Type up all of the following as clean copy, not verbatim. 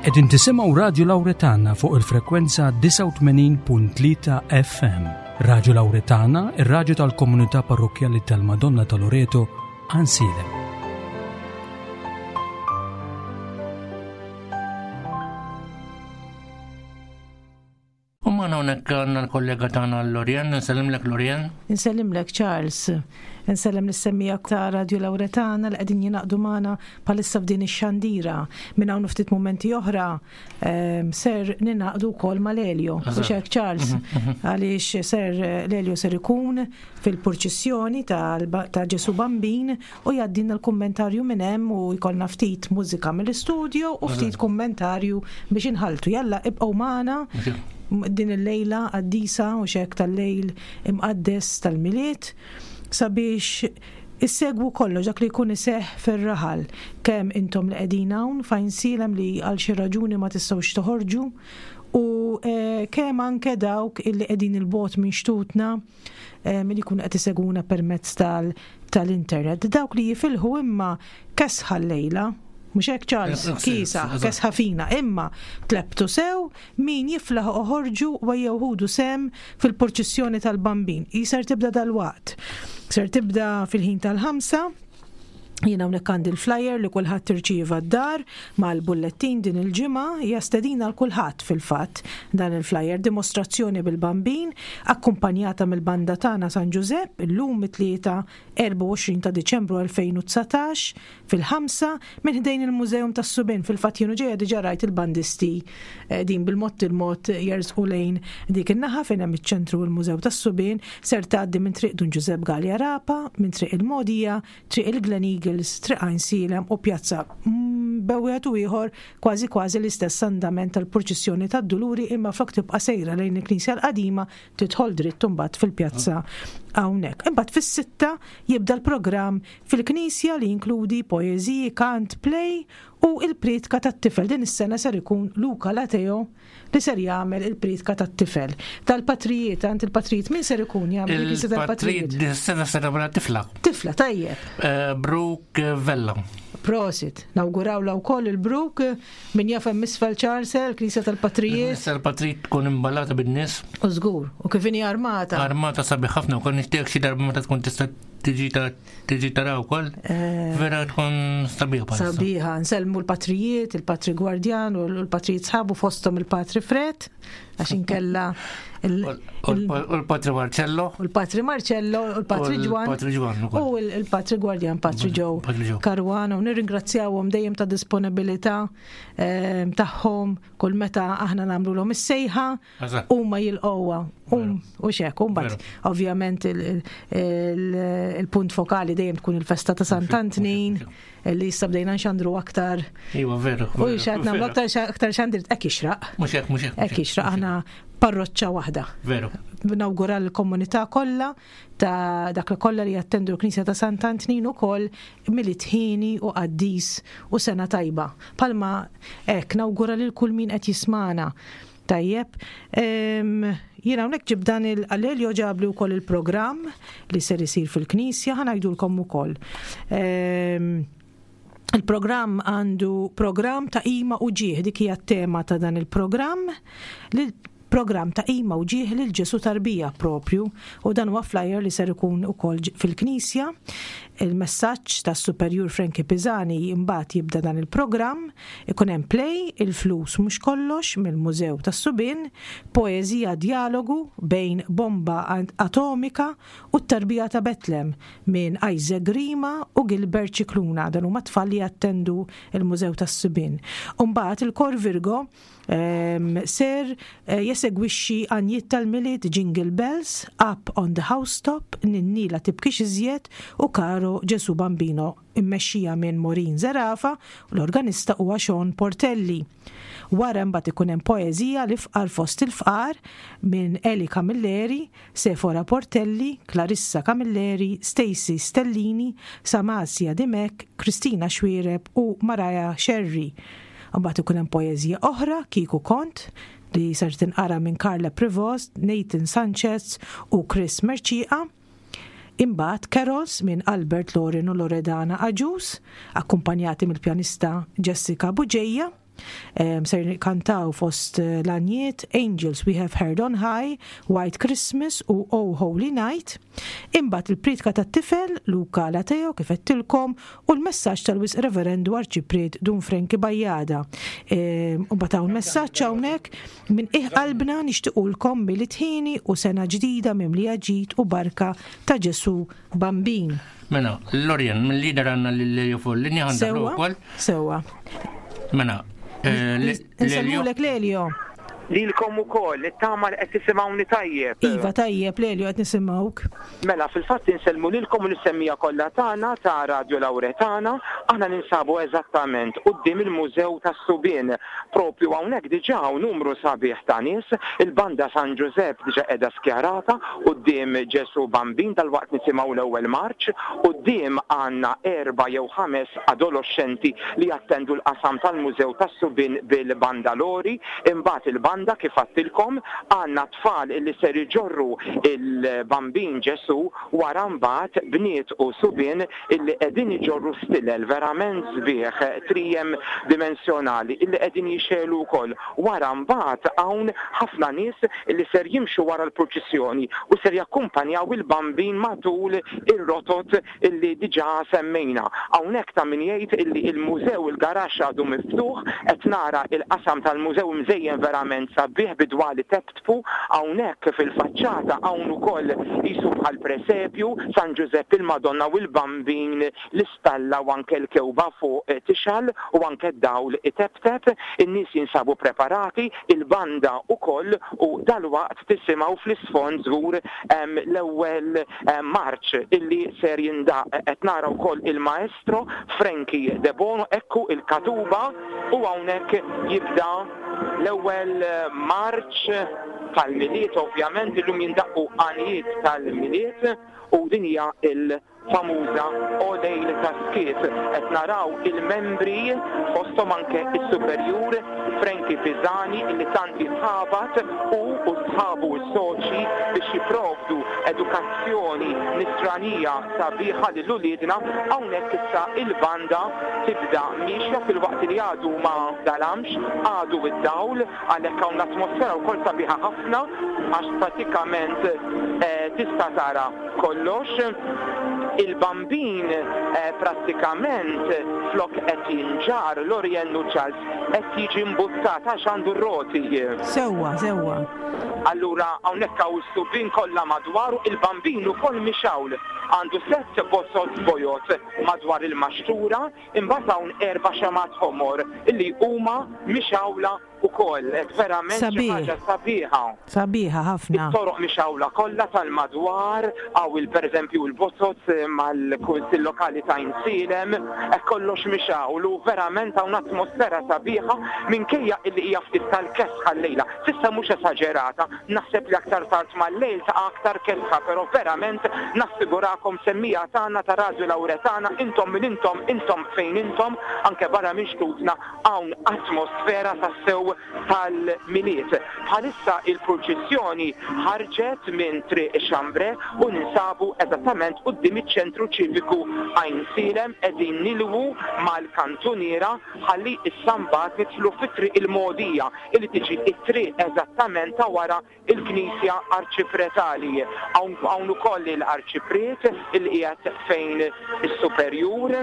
Qegħdin tisimgħu Radju Lawretana fuq il-frekwenza 89.3 FM. Radju Lawretana, ir-radju tal-komunità parrokkjali tal-Madonna ta' Loreto, Għansielem. U magħna hawnhekk għandna l-kollega tagħna Lorian, nsellimlek Lorian. Nsellimlek Charles. Nsellem lis-semmija ta' Radio Lauretana li qegħdin jingħaqdu magħna bħalissa f'din ix-xandira. Minn hawn ftit mumenti oħra ehm, ser ninaqdu wkoll mal-Elio. U hekk Charles, mhm, mhm. għaliex ser l-Elio ser ikun fil-purċissjoni ta' Ġesu Bambin u jgħaddilna l-kummentarju minn hemm u jkollna ftit mużika mill-istudio u ftit kummentarju biex inħaltu. Jalla ibqgħu magħna din il-lejla qaddisa u xek tal-lejl imqaddes tal-Milied sabiex issegwu kollox dak li jkun iseħħ fir-raħal kemm intom li qegħdin hawn f'Għajnsielem li għal xi raġuni ma tistgħux toħorġu u eh, kemm anke dawk illi qegħdin il-bogħod minn xtutna li jkunu qed isegwuna permezz tal-internet. Dawk li jifilħu imma kesħa llejla, mhux hekk Charles, kisa, kesħa fina, imma tlebtu sew min jiflaħ oħorġu u jew ħudu sem fil-purċissjoni tal-Bambin. Hi ser tibda dalwaqt. Ser tibda fil-ħin tal-ħamsa, Jiena hawnhekk għandi l-flyer li kulħadd irċieva d-dar mal-bullettin din il-ġimgħa, hija stedina għal kulħadd fil-fatt dan il-flyer, dimostrazzjoni bil-Bambin akkumpanjata mill-banda tagħna San Ġużepp illum it-Tlieta 24 ta' Diċembru 2019 fil-ħamsa minn ħdejn il-Museum tas-Subien. Fil-fatt jien u ġejja diġà rajt il-bandisti eh, din bil-mod il-mod jersqu lejn dik in-naħa fejn hemm iċ-ċentru u l-Mużew tas-Subien ser tgħaddi minn Triq Dun Ġużepp Galea Rapa, minn Triq il-Mogħdija Triq il-Glen Eagles, Triq Għajnsielem u Pjazza Bew wieħed u ieħor kważi kważi l-istess andament tal-purċissjoni tad-Duluri imma flok tibqa' sejra lejn il-Knisja l-Qadima tidħol dritt imbagħad fil-pjazza hawnhekk. Imbagħad fis-sitta jibda l-programm fil-Knisja li jinkludi poeżiji, kant, play u l-prietka tat-tifel. Din is-sena ser ikun Luca Lateo li ser jagħmel il-prietka tat-tifel. Tal-patrijiet, għand il-patrijiet, min ser ikun jagħmel il-knisja tal-patrijiet? Il-patrijiet sena ser jagħmel tifla. Tifla, tajjeb. Eh, Brooke Vella. Prosit, nawguraw la wkoll il-Brooke min jaf hemm isfel Charles, knisja tal-patrijiet. Knisja tal-patrijiet tkun imballata bin-nies. U żgur, u kif inhi armata. Armata sabiħ ħafna u kon nixtieq xi darba meta tkun tista' tiġi ta' tiġi tara wkoll. Eh, Vera tkun sabiħa. Sabiħa, nsellmu l-patrijiet, il-patri Gwardjan u l-patrijiet sħabu fosthom il-patri Fred, għax inkella U l-patri Marcello. U l-patri Marcello, u l-patri Ġwan. Patri Ġwan. U l-patri Gwardjan, patri Ġew. Karwana, u nirringrazzjawhom dejjem ta' disponibilità eh, tagħhom kull meta aħna nagħmluhom is-sejħa huma jilqgħuha u xek, u mbagħad ovvjament il-punt fokali dejjem tkun il-festa ta' Sant'Antnin li issa bdejna nxandru aktar. Iva, veru. U xed nagħmlu aktar aktar xandir hekk ixraq. Mhux hekk, mhux hekk. Hekk ixraq aħna parroċċa waħda. Veru. Nawgura l-komunità kollha ta' dak li kollha li jattendu l-Knisja ta' Sant'Antnin ukoll Milied ħieni u qaddis u sena tajba. Palma hekk nawgura lil kull min qed jismagħna. Tajjeb. Jiena hawnhekk ġib dan il-Alelio ġabli wkoll il-programm li ser isir fil-Knisja, ħa ngħidulkom ukoll. Il-programm għandu programm ta' qima u ġieħ, dik hija t-tema ta' dan il-programm. Programm ta' qima u ġieħ lil Ġesù tarbija proprju u dan huwa flyer li ser ikun ukoll fil-Knisja. Il-messaġġ tas-Superjur Frankie Pisani imbagħad jibda dan il-programm. Ikun hemm play, Il-flus mhux kollox mill-Mużew tas-Subien, poeżija djalogu bejn bomba atomika u t-tarbija ta' Betlem minn Isaac Grima u Gilbert Scicluna, dan huma tfal li jattendu l-Mużew tas-Subien. U mbagħad il-Kor Virgo ser jesegwixxi għanjiet tal-Milied Jingle Bells, Up on the Housetop, Ninni la tibkix iżjed u Caro Gesù Bambino immexxija minn Maureen Zerafa u l-organista huwa Sean Portelli. Wara imbagħad ikun hemm poeżija L-Ifqar fost il-Fqar minn Eli Camilleri, Sephora Portelli, Clarissa Camilleri, Stacey Stellini, Samasia Dimech, Christina Xuereb u Mariah Scerri. Imbagħad ikun hemm poeżija oħra Kieku Kont li ser tinqara minn Carla Prevost, Nathan Sanchez u Chris Mercieca. Imbagħad carols minn Albert Loren u Loredana Agius, akkumpanjati mill-pjanista Jessica Bugeja. Ser kantaw fost l-għanjiet Angels We Have Heard on High, White Christmas u Oh Holy Night. Imbagħad il-priedka tat-tifel, Luca Lateo, kif għedtilkom, u l-messaġġ tal-Wisq Reverendu Arċipriet Dun Frankie Bajada. U mbagħad hawn messaġġ hawnhekk minn qiegħ qalbna nixtiqulkom Milied ħieni u sena ġdida mimlija ġid u barka ta' Ġesù Bambin. Mela, Lorien, mill-lider għandna lil Lelio fuq il-linja għandna wkoll. Sewwa. Mela, eh, Insellmulek Lelio. Lilkom ukoll, nittama li qed tisimgħuni tajjeb. Iva tajjeb Lelio qed nisimgħuk. Mela, fil-fatt insellmu lilkom u lis-semmiegħa kollha tagħna ta' Radio Lauretana. Aħna ninsabu eżattament quddiem il-Mużew tas-Subien. Propju hawnhekk diġà hawn numru sabiħ ta' nies. Il-Banda San Ġużepp diġà qiegħda skjarata quddiem Ġesù Bambin, dalwaqt nisimgħu l-ewwel marċ. Quddiem għandna erba' jew ħames adoloxxenti li jattendu l-qasam tal-Mużew tas-Subien bil-bandalori. Imbagħad il-banda kif għadtilkom, għandna tfal illi ser iġorru il-Bambin Ġesù, wara mbagħad bniet u subien illi qegħdin iġorru stilel verament sbieħ trijem dimensjonali illi qegħdin jixegħlu wkoll. Wara mbagħad hawn ħafna nies illi ser jimxu wara l-purċissjoni u ser jakkumpanjaw il-Bambin matul ir-rotot illi diġà semmejna. Hawnhekk ta' min jgħid illi il-mużew, il-garaxx għadu miftuħ, qed nara il-qasam tal-mużew imżejjen verament sabiħ bi dwal iteptpu, hawnhekk fil-faċċata hawn ukoll qisu bħal presepju, San Ġużepp, il-Madonna u l-Bambin, l-istalla u anke l-kewba fuq tixgħal u anke d-dawl iteptep. In-nies jinsabu preparati, il-banda ukoll u dalwaqt tisimgħu fl-isfond żgur l-ewwel Marċ illi ser jindaqq. Qed nara wkoll il-maestro Frankie Debono, ekku il-katuba u hawnhekk jibda l-ewwel marċ tal-Milied ovvjament illum jindaqqu għanjiet tal-Milied u din hija l famuża O Lejl ta' Skiet. Qed naraw il-membri fosthom anke s-superjur Frankie Pisani illi tant jitħabat hu u sħabu s-soċji biex jipprovdu edukazzjoni nisranija sabiħa lil uliedna. Hawnhekk issa il-banda tibda miexja filwaqt li għadu ma dalamx, għadu d-dawl, għalhekk hawn l-atmosfera wkoll sabiħa ħafna għax pratikament tista' tara kollox. Il-Bambin prattikament flok qed jinġarr, Lorien u Charles, qed jiġi mbuttat għax għandu r-roti. Sewwa, sewwa. Allura hawnhekk hawn is-subien kollha madwaru, il-Bambin ukoll mixgħul. Għandu sett bozoz bojod madwar il-maxtura, imbagħad hawn erba' xemgħat ħomor illi huma mixgħula ukoll, hekk verament xi ħaġa sabiħa. Sabiħa ħafna. It-toroq mixgħula kollha tal-madwar, hawn il pereżempju l-bozoz mal-Kunsill Lokali ta' Għajnsielem, hekk kollox mixgħul u verament hawn atmosfera sabiħa minkejja illi hija ftit tal-kesħa llejla. S'issa mhux esaġerata, naħseb li aktar tard mal-lejl taqa' aktar kesħa, però verament nassigurakom semmiegħa tagħna ta' Radju Lawretana, intom min intom, intom fejn intom, anke barra minn xtutna, Hawn atmosfera tassew tal-Milied. Bħalissa il-purċissjoni ħarġet minn Triq Chambre u ninsabu eżattament quddiem iċ-Ċentru Ċiviku Għajnsielem qegħdin nilwu mal-kantuniera ħalli issa mbagħad nidħlu fi Triq il-Mogħdija li tiġi t-triq eżattament ta' wara il-Knisja Arċipretali. Hawn hawn ukoll il-Arċipriet li qiegħed fejn is-Superjur.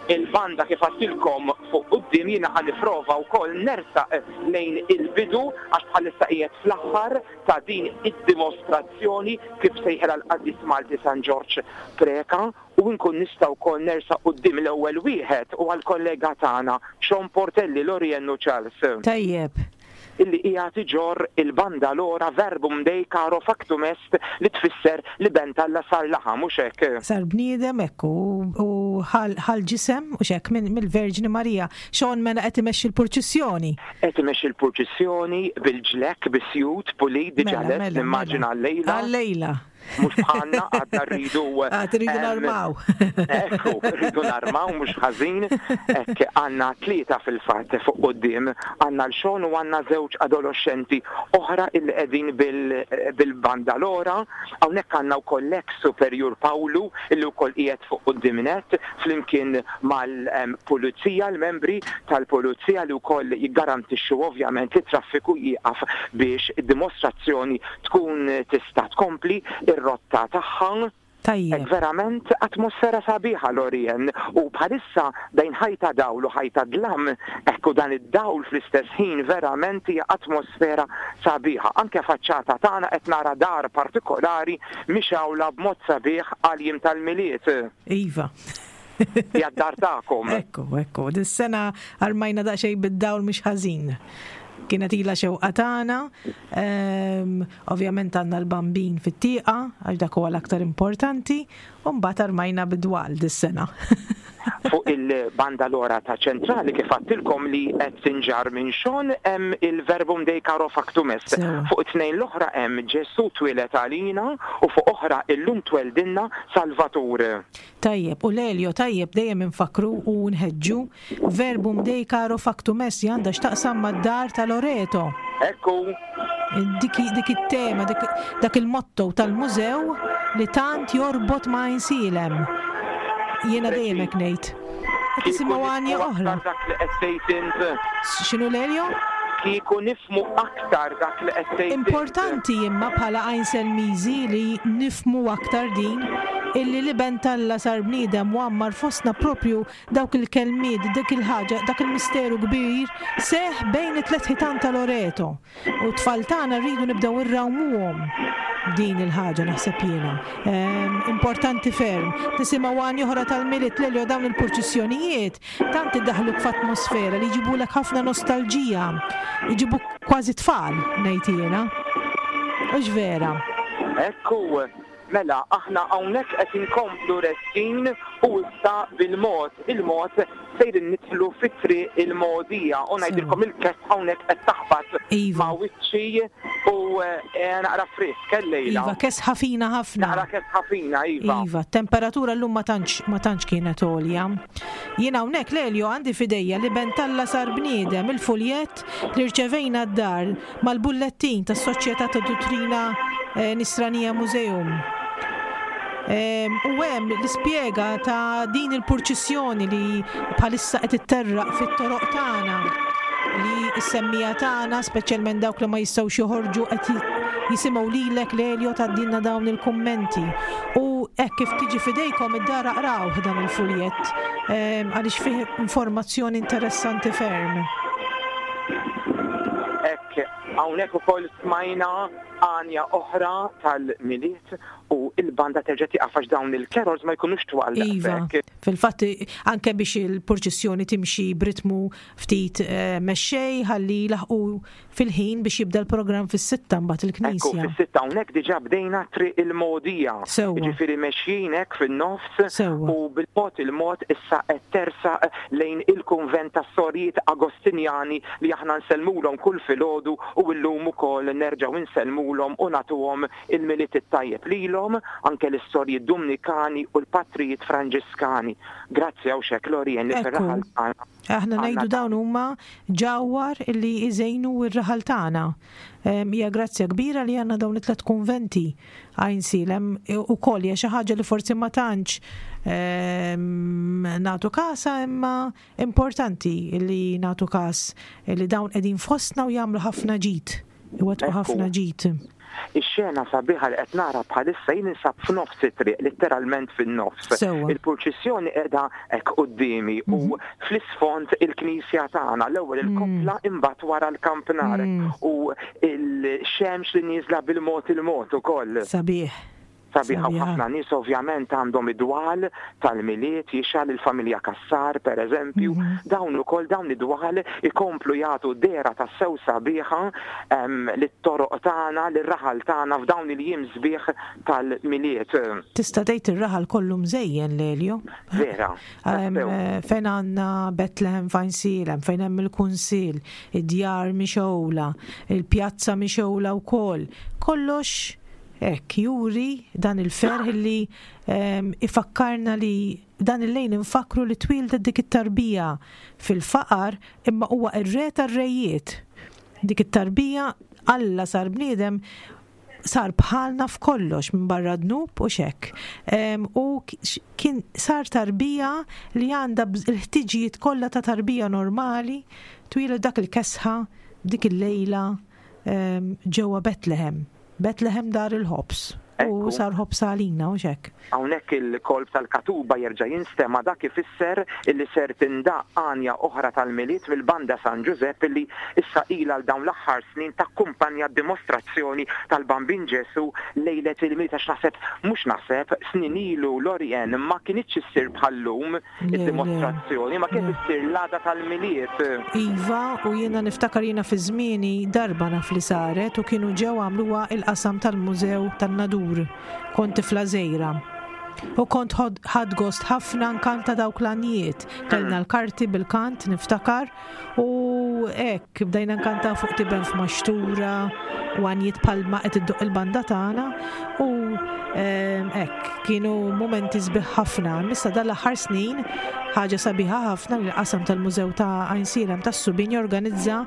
Il-banda kif għadtilkom fuq quddiem jiena ħa nipprova wkoll nersaq lejn il-bidu għax bħalissa qiegħed fl-aħħar ta' din id-dimostrazzjoni kif sejħilha l-Qaddis Malti San Ġorġ Preca u nkun nista' wkoll nersaq quddiem l-ewwel wieħed huwa l-kollega tagħna Sean Portelli, Lorien u Charles. Tajjeb. Illi qiegħed iġorr il-bandalora Verbum Dei caro factum est li tfisser l-Iben t'Alla sar laħam, hux hekk? Sar bniedem, hekk hu, u ħa l-ġisem, hux hekk, mill-Verġni Marija. Sean mela qed imexxi l-purċissjoni. Qed imexxi l-purċissjoni bil-ġlekk, bis-sjut, pulit, diġà lest, nimmaġina għal-lejla. Għal-lejla. Mhux bħalna għadna rridu. Għad rridu narmaw. Ekku, rridu narmaw mhux ħażin. Hekk għandna tlieta fil-fatt fuq quddiem, għandna l-xogħol u għandna żewġ adoloxxenti oħra illi qegħdin bil-bandalora. Hawnhekk għandna wkoll l-eks Superjur Pawlu illi wkoll qiegħed fuq quddiem nett flimkien mal-pulizija, l-membri tal-pulizija li wkoll jiggarantixxu ovvjament li t-traffiku jieqaf biex id-dimostrazzjoni tkun tista' tkompli r-rotta tagħha. Tajjeb. Hekk verament atmosfera sabiħa Lorien u bħalissa bejn ħajta dawl u ħajta dlam, hekk u dan id-dawl fl-istess ħin verament hija atmosfera sabiħa. Anke faċċata tagħna qed nara dar partikolari mixgħula b'mod sabiħ għall-jiem tal-Milied. Iva. Hija d-dar tagħkom. Ekku, ekku. Dis-sena armajna daqsxejn bid-dawl mhux ħażin. Kienet ilha xewqa tagħna. Ehm, ovvjament għandna l-bambin fit-tieqa għax dak huwa l-aktar importanti, u mbagħad armajna bid-dwal dis-sena. Fuq il-banda l-ora ta' ċentrali kif għadtilkom li qed tinġarr minn Sean hemm il-Verbum Dei Caro Factum Est. Fuq it-tnejn l-oħra hemm Ġesù twieled għalina u fuq oħra Illum tweldilna Salvatur. Tajjeb, u Lelio, tajjeb dejjem infakkru u nħeġġu, Verbum Dei Caro Factum Est li għandha x'taqsam mad-dar ta' Loreto. Hekk hu. Dik, dik it-tema, dik, dak il-motto tal-mużew li tant jorbot ma' Għajnsielem. Jiena dejjem hekk ngħid. Qed nisimgħu għanja oħra. Dak li qed tgħid int. X'inhu Lelio? Kieku nifhmu aktar dak li qed tgħid int. Importanti imma bħala Għajnselmiżi li nifhmu aktar din, illi l-Iben t'Alla sar bniedem u għammar fostna proprju dawk il-kelmiet, dik il-ħaġa, dak il-misteru kbir seħħ bejn it-tlett ħitan ta' Loreto. U t-tfal tagħna rridu nibdew irrawmuhom din il-ħaġa naħseb jiena. Ehm, importanti ferm. Nisimgħu għan oħra tal-Milied Lelio dawn il-purċissjonijiet tant iddaħluk f'atmosfera li jġibulek ħafna nostalġija. Jġibuk kważi tfal, ngħid jiena. Hux vera? Ekku, Mela, aħna hawnhekk qed inkomplu resqin u issa bil-mod il-mod sejrin nidħlu fi Triq il-Mogħdija u ngħidilkom il-kesħa hawnhekk qed taħbat Iva. ma' wiċċi u naqra frisk illejla. Iva, kesħa fina ħafna. Naqra kesħa fina, iva. Iva, t-temperatura llum ma tantx ma tantx kienet għolja. Jien hawnhekk Lelio għandi f'idejja l-Iben t'Alla sar bniedem, il-fuljett li rċevejna d-dar mal-bullettin tas-Soċjetà ta' Duttrina Nisranija Museum. U hemm l-ispjega ta' din il-purċissjoni li bħalissa qed itterraq fit-toroq tagħna li s-semmija tagħna, speċjalment dawk li ma jistgħux joħorġu qed jisimgħu lilek Lelio tgħaddilna dawn il-kummenti. U hekk kif tiġi f'idejkom id-dar aqrawh dan il-fuljett għaliex fih informazzjoni interessanti ferm. Hekk, hawnhekk ukoll smajna għanja oħra tal-Milied u l-banda terġa' tieqaf għax dawn il-carols ma jkunux twal Iva, daqshekk. fil-fatt anke biex il-purċissjoni timxi b'ritmu ftit eh, mexxej ħalli jlaħqu fil-ħin biex jibda l-programm fis-sitta mbagħad il-knisja. Ekku, fis-sitta hawnhekk diġà bdejna triq il-mogħdija. Sewwa. Jiġifieri mexjin hekk fin-nofs. Sewwa. U bil-mod il-mod issa qed tersaq lejn il-kunvent tas-Sorijiet Agostinjani li aħna nsellmulhom kull filgħodu u llum ukoll nerġgħu nsellmulhom u nagħtuhom il-Milied it-tajjeb lilhom, anke lis-Sorijiet Dumnikani u l-Patrijiet Franġiskani. Grazzi hawnxekk Lorien li fir-raħal tagħna. Aħna ngħidu dawn huma ġawhar li jżejnu r-raħal tagħna. Hija grazzja kbira li għandna dawn it-tlet kunventi Għajnsielem ukoll hija xi ħaġa li forsi ma tantx nagħtu kasha imma importanti li nagħtu kas li dawn qegħdin fostna u jagħmlu ħafna ġid. Iwettqu ħafna ġid. Ix-xena sabiħa li qed nara bħalissa jien ninsab f'nofs it-triq, litteralment fin-nofs. Il-purċissjoni qiegħda hekk quddiemi u mhm. fl-isfond il-knisja tagħna, l-ewwel mm. il-koppla imbagħad wara l-kampnar mm. u l-xemx li nieżla bil-mod il-mod ukoll. Sabiħ. Sabiħa u ħafna nies ovvjament għandhom id-dwal tal-Milied jixgħal il-familja Cassar pereżempju, dawn ukoll dawn id-dwal ikomplu jagħtu dehra tassew sabiħa lit-toroq tagħna, lir-raħal tagħna f'dawn il-jiem sbieħ tal-Milied. Tista' tgħid ir-raħal kollu mżejjen, Lelio. Vera. Tassew. Fejn għandna Bethlehem f'Għajnsielem, fejn hemm il-Kunsill, id-djar mixgħula, il-pjazza mixgħula wkoll. Kollox. Hekk juri dan il-ferħ li ifakkarna li dan il-lejl infakkru li twieldet dik it-tarbija fil-faqar imma huwa r-re tar-rejiet. Dik it-tarbija Alla sar bniedem sar bħalna f'kollox minbarra dnub u x'hekk. U kien sar tarbija li għandha l-ħtiġijiet kollha ta' tarbija normali, twieled dak il-kesħa dik il-lejla ġewwa Betlehem. Betlehem dar il-ħobż. U sar ħobż għalina u x'hekk. Hawnhekk il-kolp tal-katuba jerġa' jinstema' dak ifisser illi ser tindaqq għanja oħra tal-Milied mill-Banda San Ġużepp illi issa ilha għal dawn l-aħħar snin takkumpanja d-dimostrazzjoni tal-Bambin Ġesù lejlet il-Milied għax naħseb, mhux naħseb, snin ilu Lorien ma kinitx issir bħal-lum id-dimostrazzjoni, ma kienet issir l-għada tal-Milied. Iva, u jiena niftakar jiena fi żmieni darba naf li saret u kienu ġew għamluha il-qasam tal-Mużew tan-Nadur. Kont tifla żgħira. U kont ħadt gost ħafna nkanta dawk l-għanjiet. Kellna l-karti bil-kant niftakar u hekk bdejna nkantaw fuq tiben f'maxtura u għanjiet bħalma qed iddoqq il-banda tagħna u ehm, hekk kienu mumenti sbieħ ħafna. Issa dal-aħħar snin ħaġa sabiħa ħafna li l-qasam tal-Mużew ta' Għajnsielem tas-Subien jorganizza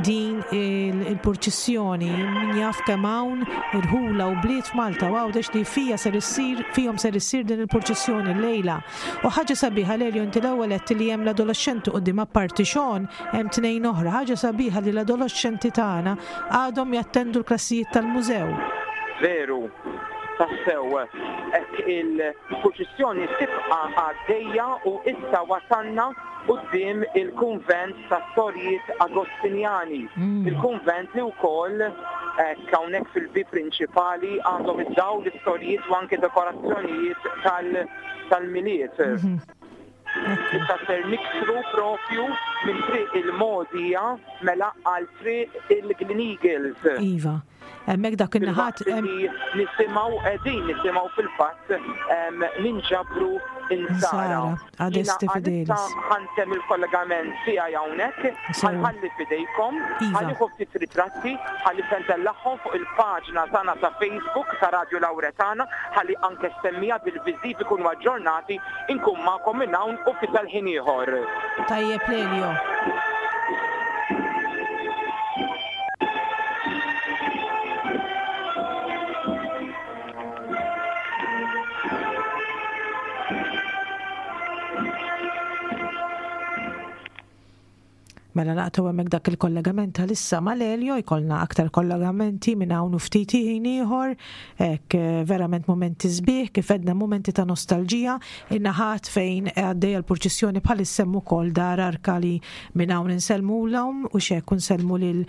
din il-purċissjoni. Min jaf kemm hawn irħula u bliet f'Malta u Għawdex li fija ser issir fihom ser issir din il-purċissjoni llejla. U ħaġa sabiħa Lelio inti l-ewwel għedt li hemm l-adoloxxenti quddiem apparti Sean hemm tnejn oħra. Ħaġa sabiħa li l-adoloxxenti tagħna għadhom jattendu l-klassijiet tal-mużew. Veru, tassew, hekk il-purċissjoni tibqa' għaddejja u issa wasalna quddiem il-kunvent tas-Sorijiet Agostinjani, il-kunvent li wkoll hekk hawnhekk fil-bieb prinċipali għandhom id-dawl, is-sorijiet u anke dekorazzjonijiet tal-Milied. Issa ser niksru propju minn Triq il-Mogħdija mela għal Triq il-Glen Eagles. Iva. Hemmhekk dak in-naħat. Nisimgħu qegħdin nisimgħu fil-fatt ninġabru insara. Adesti fidelis. Ħantem il-kollegament tiegħi hawnhekk, ħanħalli fidejkom, Iva. ħanieħu ftit ritratti, ħalli se ntellagħhom fuq il-paġna tagħna ta' Facebook ta' Radio Lauretana, ħalli anke semmija bil-viżiv ikunu aġġornati, inkun magħkom minn hawn u ftit tal-ħin ieħor. Tajjeb Lelio. Mela naqtgħu hemmhekk dak il-kollegament għalissa mal-Elio, jkollna aktar kollegamenti minn hawn u ftit ħin ieħor, hekk eh, verament mumenti sbieħ, kif għedna mumenti ta' nostalġija, in-naħat fejn għaddejja l-purċissjoni bħalissa hemm ukoll dar arka li minn hawn insellmulhom u x'hekk insellmu lil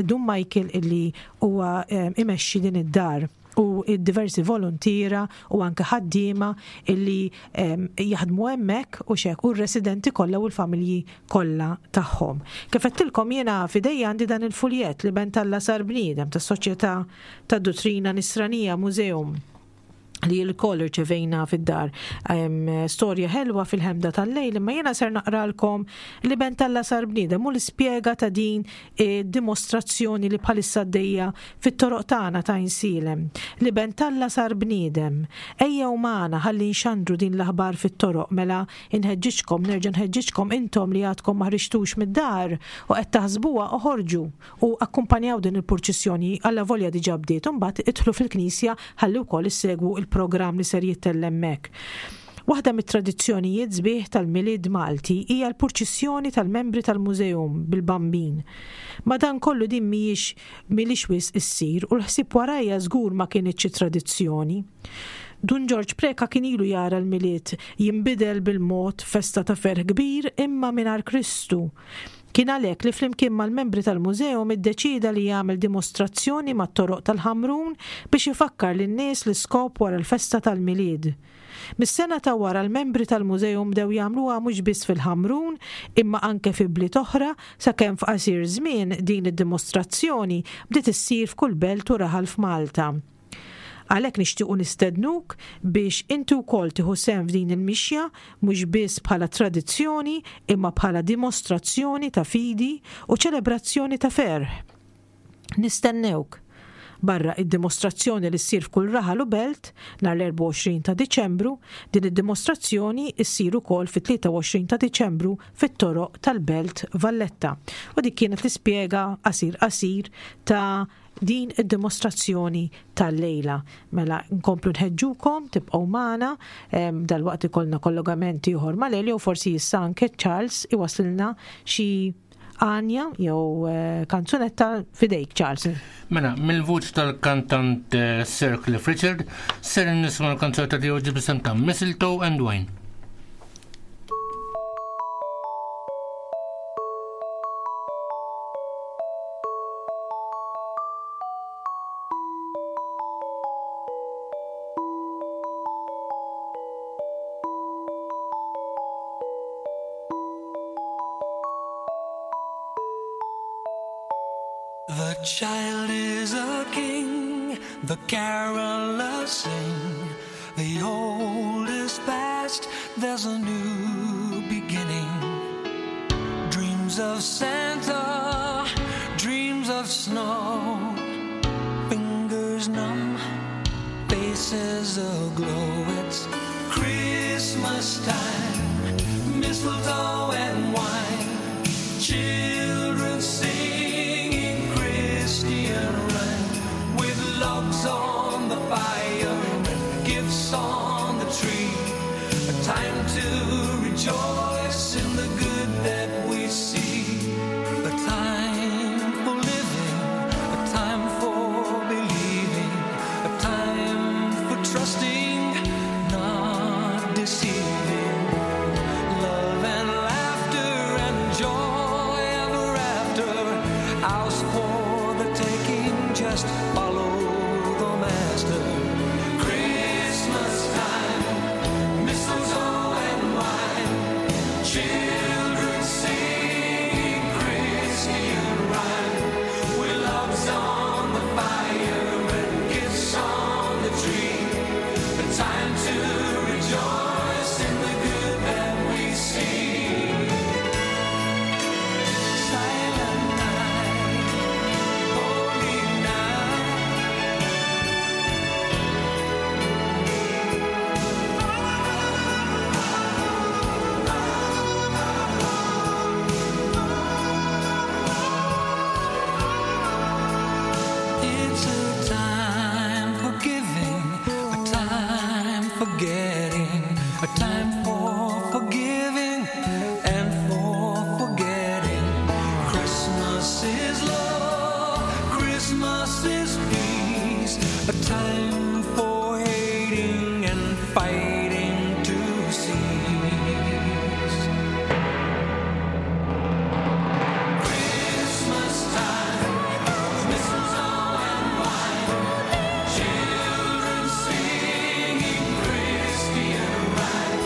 Dun Michael illi huwa eh, imexxi din id-dar u d-diversi voluntiera u anke ħaddiema illi jaħdmu hemmhekk u x'hekk u r-residenti kollha u l-familji kollha tagħhom. Kif għedtilkom jiena f'idejja għandi dan il-fuljett li Ben Alla sar bniedem tas-Soċjetà tad-Duttrina Nisranija Museum li l-koll irċevejna fid-dar. Storja ħelwa fil-ħemda tal-lejl, imma jiena ser naqralkom li Ben Alla sar bniedem u l-ispjega ta' din dimostrazzjoni li bħalissa għaddejja fit-toroq tagħna ta' Għajnsielem. L-Iben t'Alla sar bniedem. Ejjew magħna ħalli nxandru din l-aħbar fit-toroq mela inħeġġiġkom, nerġa' nħeġġiġkom intom li għadkom ma ħriġtux mid-dar u qed taħsbuha oħorġu u akkumpanjaw din il-purċissjoni allavolja diġà bdiet u mbagħad idħlu fil-knisja ħalli wkoll issegwu l-programm li ser jittella' hemmhekk. Waħda mit-tradizzjonijiet sbieħ tal-Milied Malti hija l-purċissjoni tal-membri tal-Museum bil-Bambin. Madankollu din mhijiex m'ilhiex wisq issir u l-ħsieb warajha żgur ma kinitx it-tradizzjoni. Dun Ġorġ Preca kien ilu jara l-Milied jinbidel bil-mod f'festa ta' ferħ kbir imma mingħajr Kristu. Kien għalhekk li flimkien mal-membri tal-Museum iddeċieda li jagħmel dimostrazzjoni mat-toroq tal-Ħamrun biex ifakkar lin-nies l-iskop wara l-festa tal-Milied. Mis-sena ta' wara l-membri tal-Museum bdew jagħmluha mhux biss fil-Ħamrun imma anke fi bliet oħra sakemm f'qasir żmien din id-dimostrazzjoni bdiet issir f'kull belt u raħal f'Malta. Għalhekk nixtiequ nistednuk biex inti wkoll tieħu sehem f'din il-mixja mhux biss bħala tradizzjoni imma bħala dimostrazzjoni ta' fidi u ċelebrazzjoni ta' ferħ. Nistennewk! Barra id-dimostrazzjoni li ssir f'kull raħal u belt nhar l-24 ta' Diċembru, din id-dimostrazzjoni ssir ukoll fit-23 ta' Diċembru fit-toroq tal-Belt Valletta. U dik kienet l-ispjega qasir qasir ta' din id-dimostrazzjoni tal-lejla. Mela nkomplu nħeġġukom tibqgħu magħna dalwaqt ikollna kollegament ieħor mal-Elio forsi issa anke Charles iwaslilna xi għanja jew eh, kanzunetta fidejk Charles. Mela, mill-vuċ tal-kantant eh, Sir Cliff Richard, ser nisma l-kanzunetta tiegħu ġibisem ta' Mistletoe and Wine. The child is a king, the carolers sing. The old is past, there's a new beginning. Dreams of Santa, dreams of snow. Fingers numb, faces aglow. It's Christmas time, mistletoe and wine. Children singing Christian rhyme with logs on the fire and gifts on the tree. A time to rejoice in the good that we see. A time for living, a time for believing, a time for trusting, not deceiving. Love and laughter and joy ever after. Ours for the taking, just follow the master. Christmas time, mistletoe and wine. Children singing Christian rhyme. With logs on the fire and gifts on the tree. A time to rejoice in the good that we see. Silent night, holy night. It's a time for giving, a time for getting, a time for forgiving and for forgetting. Christmas is love, Christmas is peace, a time for hating and fighting to cease. Christmas time, mistletoe and wine, children singing Christian rhyme,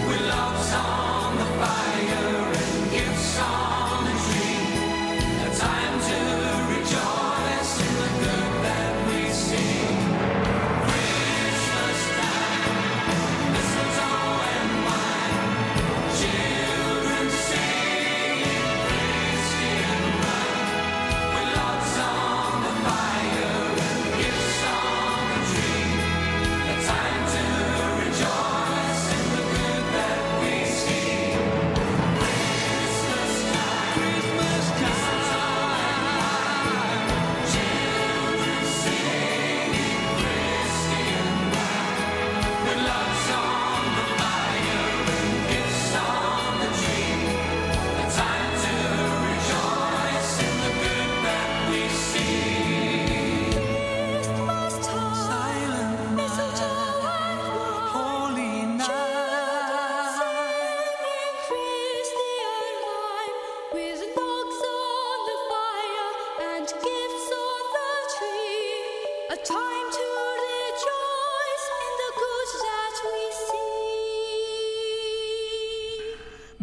with logs on the fire and gifts on the tree, a time to rejoice in the good that we see. Christmas time, mistletoe and wine, children singing Christian rhyme. With logs on the fire and gifts on the tree, a time to rejoice in the good that we see. Christmas time, Christmas time, children singing Christian rhyme. With logs on the fire and gifts on the tree, a time to rejoice in the good that we see. Christmas time, Silent mistletoe and wine, holy children night. singing Christian rhyme, with logs on the fire and gifts on the tree, a time to rejoice in the good that we see.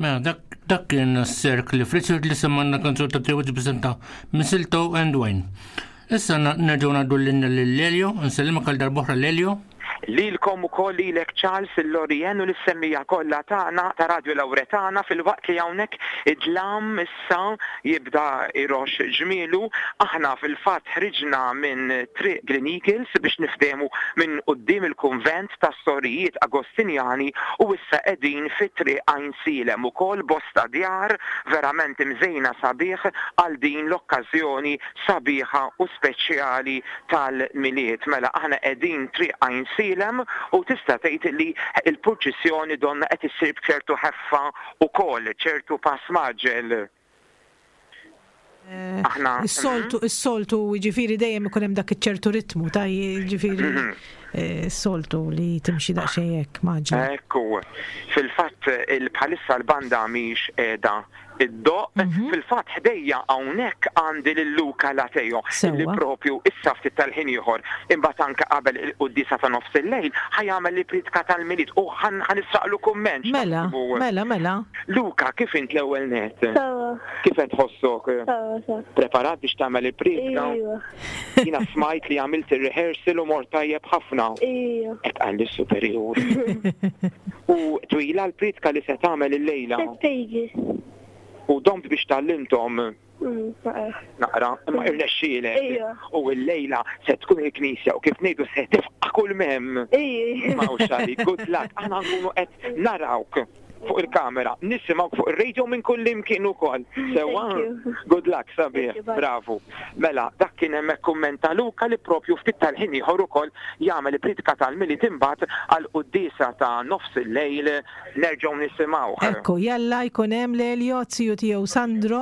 Mela, dak dak kien Sir Cliff Richard li semmanna kanzunetta tiegħu ġibisem ta' Mistletoe and Wine. Issa na- nerġgħu ngħaddu lilna lil Lelio, nsellimek għal darb'oħra Lelio. Lilkom ukoll lilek Charles, il-Lorien u lis-semmiegħa kollha tagħna ta' Radio Lauretana filwaqt li hawnhekk id-dlam issa jibda jroxx ġmielu. Aħna fil-fatt ħriġna minn Triq Green Eagles biex niftehmu minn quddiem il-kunvent tas-Sorijiet Agostinjani u issa qegħdin fi Triq Għajnsielem ukoll bosta djar verament imżejna sabiħ għal din l-okkażjoni sabiħa u speċjali tal-Milied. Mela aħna qegħdin Triq Għajnsielem u tista' tgħid li l-purċissjoni donnha qed issir b'ċertu ħeffa wkoll, ċertu pass mgħaġġel. Aħna. Is-soltu, is-soltu, jiġifieri dejjem ikun hemm dak iċ-ċertu ritmu, ta' jiġifieri s-soltu li timxi daqsxejn hekk mgħaġġla. Ekku. Fil-fatt bħalissa l-banda mhix qiegħda iddoqq. Fil-fatt ħdejja hawnhekk għandi lil Luca Lateo li propju issa ftit tal-ħin ieħor imbagħad anke qabel il-quddiesa ta' nofs il-lejl ħa jagħmel il-prietka tal-Milied u ħa nisraqlu kumment. Mela, mela, mela. Luca, kif int l-ewwel nett? Sewwa. Kif qed tħossok? Sewwa, sewwa. Preparat biex tagħmel il-prietka? Iva. Jiena smajt li għamilt ir-rehearsal u mort tajjeb ħafna. Iva. Hekk qalli s-superjur. U twila l-prietka li se tagħmel illejla? Tlet pages. U domt biex tgħallimthom? Naqra. Naqra, imma irnexxielek. Ejja. U llejla se tkun il-knisja u kif ngħidu se tifqa' kull m'hemm. Ejja. Ma hawnx għalik, good luck. Aħna nkunu qed narawk fuq il-kamera, nisimgħuk fuq ir-radio minn kull imkien ukoll. Sewwa? Good luck, sabiħ. Bravu. Mela, dak kien hemmhekk kumment ta' Luca li propju ftit tal-ħin ieħor ukoll jagħmel il-priedka tal-Milied imbagħad għall-quddiesa ta' nofs il-lejl nerġgħu nisimgħuh. Ekku, jalla jkun hemm l-Elio, ziju tiegħu Sandro,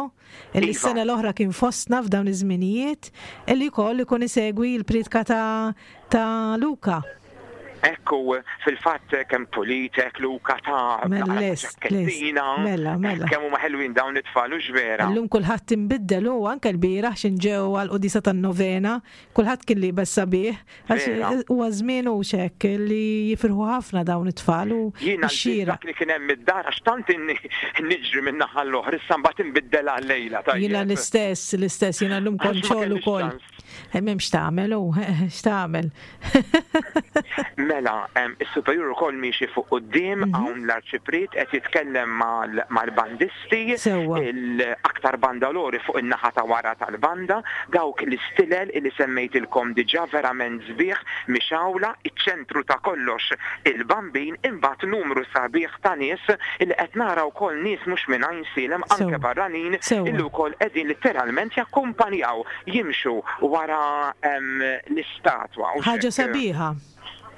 illi Iva. s-sena l-oħra kien fostna f'dawn iż-żminijiet, illi wkoll ikun isegwi l-priedka ta' ta' Luca. Ekku, fil-fatt kemm pulitek Luca ta' Mela, naqra lest, lest. ċakkettina. Mela, mela. Kemm huma ħelwin dawn it-tfal hux vera? Illum kulħadd inbiddel u anke l-bieraħ x'in ġew għall-quddiesa tan-novena, kulħadd kien liebes sabiħ. Għax Vera. huwa żmien hux hekk li jifirħu ħafna dawn it-tfal u Jiena lbist x-xieraq. dak li kien hemm id-dar għax tant inni niġri minn naħa l-oħra, issa mbagħad inbiddel għal-lejla, Jiena tajjeb. l-istess, l-istess, jiena llum Għax kont ma xogħol kellix ukoll. ċans. M'hemmx x'tagħmel u x'tagħmel. Mela, is-superjur ukoll miexi fuq quddiem, hawn l-arċipriet qed jitkellem mal-bandisti, l-aktar bandalori fuq in-naħa ta' wara tal-banda, dawk l-istilel li semmejtilkom diġà verament sbieħ mixgħula, iċ-ċentru ta' kollox il-Bambin, imbagħad numru sabiħ ta' nies li qed nara wkoll nies mhux minn Għajnsielem anke barranin illi wkoll qegħdin litteralment jakkumpanjaw, jimxu wara l-istatwa. Ħaġa sabiħa.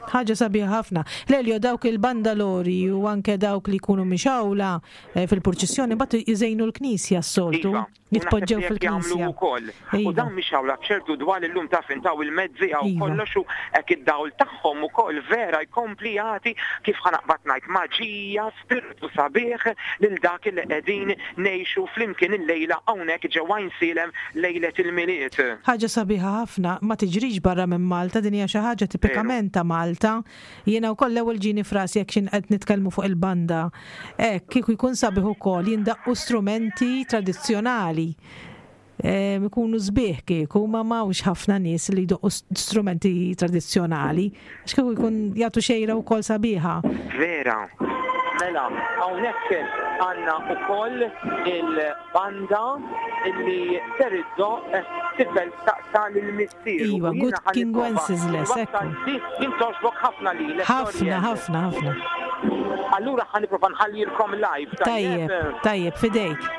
Ħaġa sabiħa ħafna. Lelio, dawk il-bandalori u anke dawk li jkunu mixawla eh, fil-purċissjoni mbagħad iżejnu l-knisja s-soltu. Iva, Jitpoġġew fil-knisja. Ukoll. U Iva. dawn mixawla b'ċertu dwal illum taf intaw il-mezzi għaw Iva. kollox u hekk id-dawl tagħhom ukoll vera jkompli jagħti kif ħanaqbad ngħid maġija, spirtu sabiħ lil dak li qegħdin ngħixu flimkien illejla hawnhekk ġewwa Għajnsielem lejlet il-Milied. Ħaġa sabiħa ħafna, ma tiġrix barra minn Malta, din hija xi ħaġa tipikament ta' Malta. Jiena wkoll l-ewwel ġieni f'rasi jekk x'in qed nitkellmu fuq il-banda. Hekk kieku jkun sabiħ ukoll jindaqqu strumenti tradizzjonali. Ikunu sbieħ kieku, ma m'hawnx ħafna nies li jdoqqu strumenti tradizzjonali. Għax kieku jkun jagħtu xejra wkoll sabiħa. Vera. Mela, hawnhekk għandna wkoll il-banda illi ser iddoqq tifel staqsa lil missieru. Iva, U jiena Good ħa King nipprova Wenceslas, nwassal ekku. din din togħġbok ħafna lilek, Ħafna, Dorian. ħafna, ħafna. Allura ħa nipprova nħallilkom live, Tajjeb, tajjeb? tajjeb, fidejk.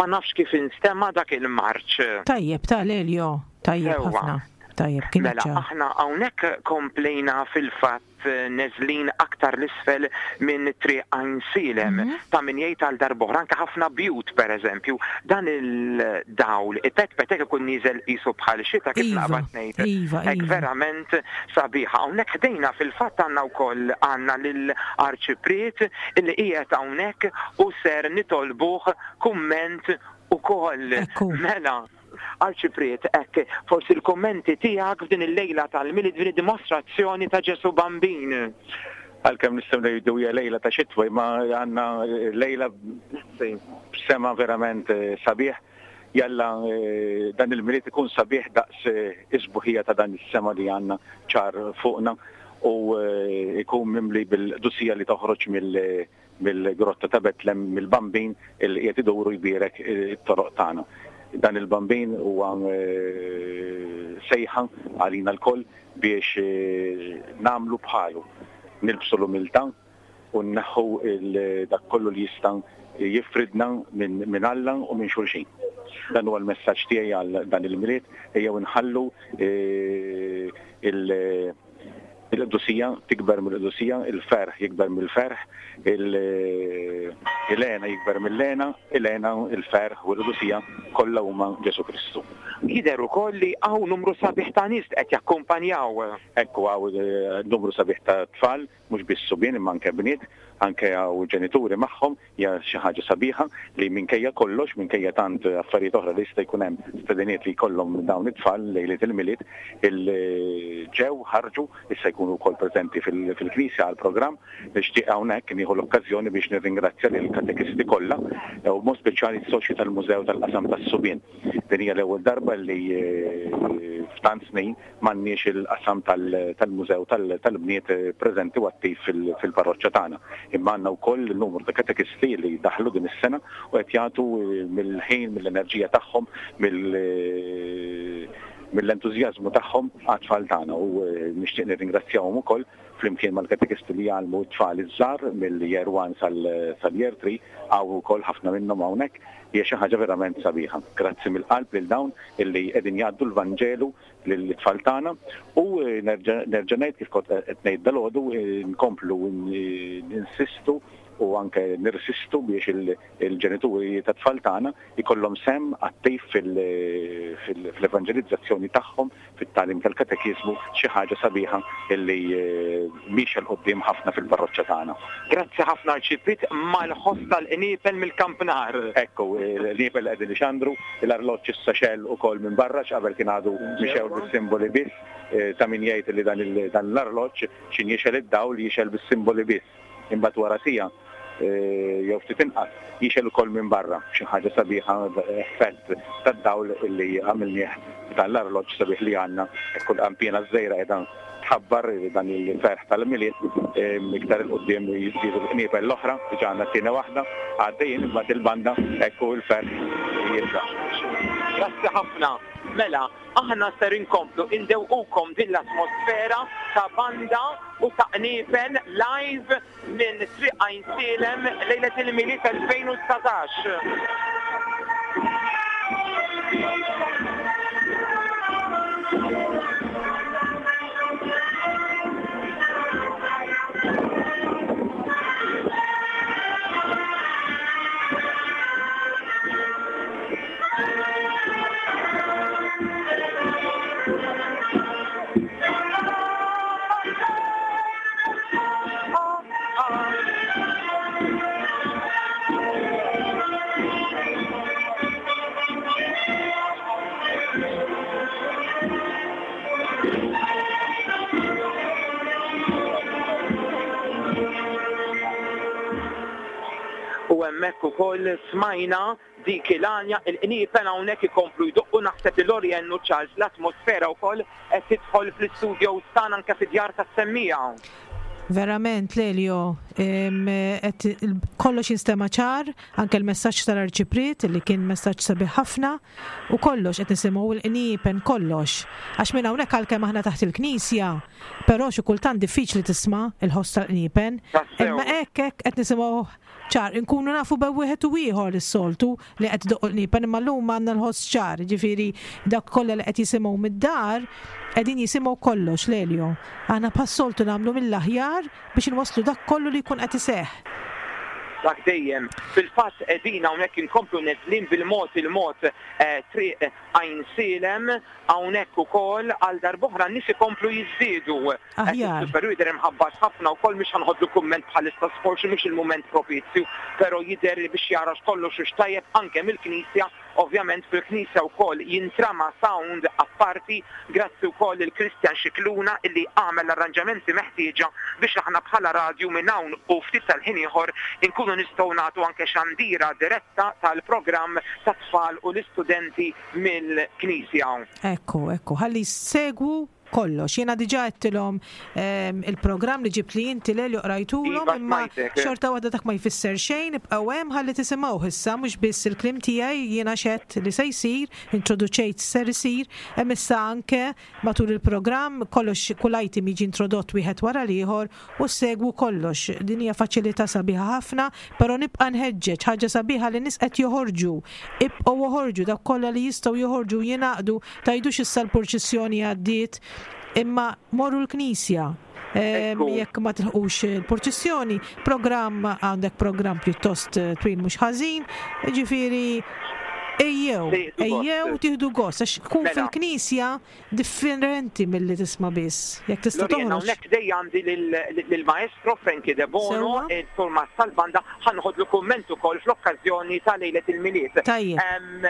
Ma nafx kif instema' dak il-marċ. Tajjeb ta' Lelio, tajjeb ħafna. Tajjeb, kien Mela, aħna hawnhekk komplejna fil-fatt neżlin aktar 'l isfel minn Triq Għajnsielem, ta' min jgħid għal darb'oħra, anke ħafna bjut pereżempju, dan il-dawl ipetpet hekk ikun nieżel qisu bħal xita kif naqbad ngħid. Hekk verament sabiħa. Hawnhekk ħdejna fil-fatt għandna wkoll għandna lil Arċipriet illi qiegħed hawnhekk u ser nitolbuh kumment ukoll. Mela. Arċipriet, hekk, forsi l-kummenti tiegħek f'din il-lejla tal-Milied, f'din id-dimostrazzjoni ta' Ġesù Bambin. Għalkemm nistgħu ngħidu hija lejla ta' xitwa, imma għandna lejla b'sema verament sabiħ. Jalla dan il-Milied ikun sabiħ daqs is-sbuħija ta' dan is-sema li għandna ċar fuqna u jkun mimli bil-qdusija li toħroġ mill mill-grotta ta' Betlem, mill-Bambin li qiegħed idur u jbierek it-toroq tagħna. Dan il-Bambin huwa sejħa għalina lkoll biex nagħmlu bħalu, nilbsu l-umiltà u nneħħu dak kollu li jista' jifridna minn Alla u minn xulxin. Dan huwa l-messaġġ tiegħi għal dan il-Milied, ejjew inħallu Il-qdusija tikber mill-qdusija, il-ferħ jikber mill-ferħ, il-hena jikber mill-hena, il-hena, il-ferħ u l-qdusija kollha huma Ġesù Kristu. Jidher ukoll li hawn numru sabiħ ta' nies li qed jakkumpanjaw. Ekku hawn numru sabiħ ta' tfal, mhux biss subien imma anke bniet, anke hawn ġenituri magħhom Hija xi ħaġa sabiħa li minkejja kollox, minkejja tant affarijiet oħra li jista' jkun hemm stediniet li jkollhom dawn it-tfal lejliet il-Milied, ġew, ħarġu, issa jkunu wkoll preżenti fil-knisja għall-programm. Nixtieq hawnhekk nieħu l-okkażjoni biex nirringrazzja lill-katekisti kollha u b'mod speċjali s-soċji tal-Mużew tal-Qasam tas-Subien. Din hija l-ewwel darba li f'tant snin m'għandniex il-qasam tal-mużew tal-bniet preżenti u attiv fil-parroċċa tagħna. Imma għandna wkoll numru ta' katekisti li daħlu din is-sena u qed jagħtu mill-ħin, mill-enerġija tagħhom, mill-entużjażmu tagħhom għat-tfal tagħna u nixtieq nirringrazzjahom ukoll flimkien mal-katekisti li jgħallmu t-tfal iż-żgħar mill-Year One sal-Year Three, hawn ukoll ħafna minnhom hawnhekk. Hija xi ħaġa verament sabiħa. Grazzi mill-qalb lil dawn illi qegħdin jgħaddu l-Vanġelu lit-tfal tagħna u nerġa' ngħid kif kont qed ngħid dalgħodu nkomplu ninsistu u anke nirsistu biex il-ġenituri tat-tfal tagħna jkollhom sehem attiv fil-evanġelizzazzjoni tagħhom, fit-tagħlim tal-katekiżmu, xi ħaġa sabiħa li miexja 'l quddiem ħafna fil-parroċċa tagħna. Grazzi ħafna Arċipriet, mal-ħoss tal-qniepel mill-kampnar. Ekku, l-qniepel li qegħdin ixandru, l-arloġġ issa xegħel ukoll minn barra x'qabel kien għadu mixgħul bis-simboli biss. Ta' min jgħid li dan l-arloġġ x'in jixgħel id-dawl jixgħel bis-simboli biss. Imbagħad wara siegħa jew ftit inqas jixgħel ukoll minn barra, xi ħaġa sabiħa, effett tad-dawl li għamilnieh b'dan l-arloġġ sabiħ li għandna, hekk il-qanpiena ż-żgħira qiegħda tħabbar dan il-ferħ tal-Milied, iktar 'il quddiem jiżdiedu l-qniepel l-oħra, diġà għandna t-tieni waħda għaddejjin, imbagħad il-banda, hekk u l-ferħ jibda. Grazzi ħafna. Mela, Aħna ser inkomplu indewqukom din l-atmosfera ta' banda u ta' qniepen live minn Triq Għajnsielem lejlet il-Milied 2019. U hemmhekk ukoll smajna Dik il-għanja, il-qniepen hawnhekk ikomplu jdoqqu, naħseb li Lorien u Charles l-atmosfera wkoll qed tidħol fl-istudios tagħna anke fid-djar tas-semmiegħa. Verament Lelio, Kollox jinstema' ċar, anke l-messaġġ tal-Arċipriet li kien messaġġ sabiħ ħafna u kollox qed nisimgħu il-qniepen kollox. Għax minn hawnhekk għalkemm aħna taħt il-knisja, però xi kultant diffiċli tisma' il-ħoss tal-qniepen. Imma hekk hekk qed nisimgħu ċar, inkunu nafu bejn wieħed u ieħor is-soltu li qed idoqqu l-qniepen imma llum għandna l-ħoss ċar, jiġifieri dawk kollha li qed jisimgħu mid-dar qegħdin jisimgħu kollox, Lelio. Aħna bħas-soltu nagħmlu mill-aħjar biex inwasslu dak kollu li jkun qed iseħħ. Dak dejjem. Fil-fatt qegħdin hawnhekk inkomplu neżlin bil-mod il-mod triq Għajnsielem, hawnhekk ukoll għal darb'oħra n-nies ikomplu jiżdiedu. Aħjar. Però jidher imħabbat ħafna wkoll mhix ħa nħodlu kumment bħalissa forsi mhux il-mument propizju, però jidher li biex jara x'kollox hux tajjeb anke mill-knisja, ovvjament fil-knisja wkoll jintrama' sound apparti, grazzi wkoll lil Christian Scicluna illi għamel l-arranġamenti meħtieġa biex aħna bħala radju minn hawn u ftit tal-ħin ieħor inkunu nistgħu nagħtu anke xandira diretta tal-programm tat-tfal u l-istudenti mill-knisja. Ekku, ekku, ħalli jsegwu kollox. Jiena diġà għedtilhom ehm, il-programm li ġibt li inti Lelio qrajtulhom Iva, imma smajtek. xorta waħda dak ma jfisser xejn, ibqgħu hemm ħalli tisimgħuh issa mhux biss il-kliem tiegħi jiena x'għedt li se jsir, introduċejt x'ser isir, hemm issa anke matul il-programm kollox kull item jiġi introdott wieħed wara l-ieħor u ssegwu kollox. Din hija faċilità sabiħa ħafna, però nibqa' nħeġġeġ, ħaġa sabiħa li nies qed joħorġu. Ibqgħu oħorġu, dawk kollha li jistgħu joħorġu u jingħaqdu, tgħidux issa l-purċissjoni għaddiet, imma morru l-knisja. Jekk ma tilħqux il-purċissjoni, programm għandek programm pjuttost eh, twil mhux ħażin, ġifieri ejjew, ejjew tieħdu gost, għax tkun Mela. fil-knisja Differenti milli tisma' biss. Jekk tista' Lorena, toħroġ. hawnhekk dejja għandi lill-Maestro Frankie Debono, Sewwa. il-Surmast tal-banda, ħa noħodlu kumment ukoll fl-okkażjoni ta' lejlet il-Milied. Tajjeb.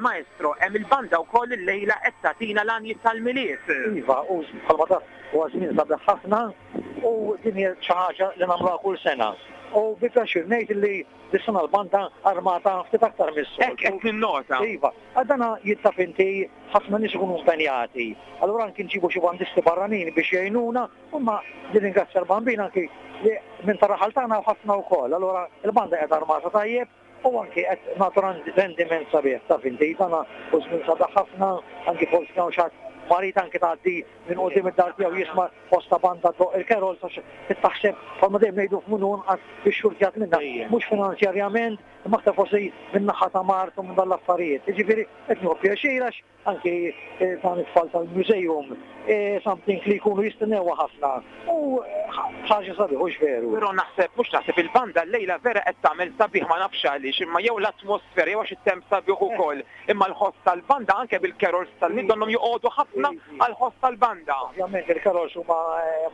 Maestro, hemm il-banda wkoll illejla qed tagħtina l-għanjiet tal-Milied. Iva, u bħalma taf huwa żmien sabiħ ħafna u din hija xi ħaġa li nagħmluha kull sena. U bi pjaċir ngħid li dis-sena l-banda armata ftit aktar mis-soltu. Hekk qed ninnota. Iva, għal dana jitaf inti ħafna nies ikunu impenjati. Allura anki nġibu xi bandisti barranin biex jgħinuna, imma nirringrazzja l-Bambin anki li minn tar-raħal tagħna hawn ħafna wkoll. Allura l-banda qiegħda armata tajjeb u anki qed nagħtu rendiment sabiħ, taf inti, dana hu żmien sabiħ ħafna, anki forsi hawn xi ħadd marid anki tgħaddi minn quddiem id-dar tiegħu jisma' ħoss ta' banda ddoqq il-carols għax trid taħseb bħalma dejjem ngħidu f'min hu nqas ixxurtjat minna, mhux finanzjarjament imma aktar forsi min-naħa ta' mard u minn dawn l-affarijiet. Jiġifieri qed nieħu pjaċir għax anki dan it-tfal tal-museum something li jkunu jistennewha ħafna u ħaġa sabiħ hux veru? Però naħseb, mhux naħseb, il-banda llejla vera qed tagħmel sabiħ ma nafx għaliex imma jew l-atmosfera jew għax it-temp sabiħ ukoll imma l-ħoss tal-banda anke bil-carols tal-Milied donnhom joqogħdu ħafna għall-ħoss tal-banda. Ovvjament il-carols huma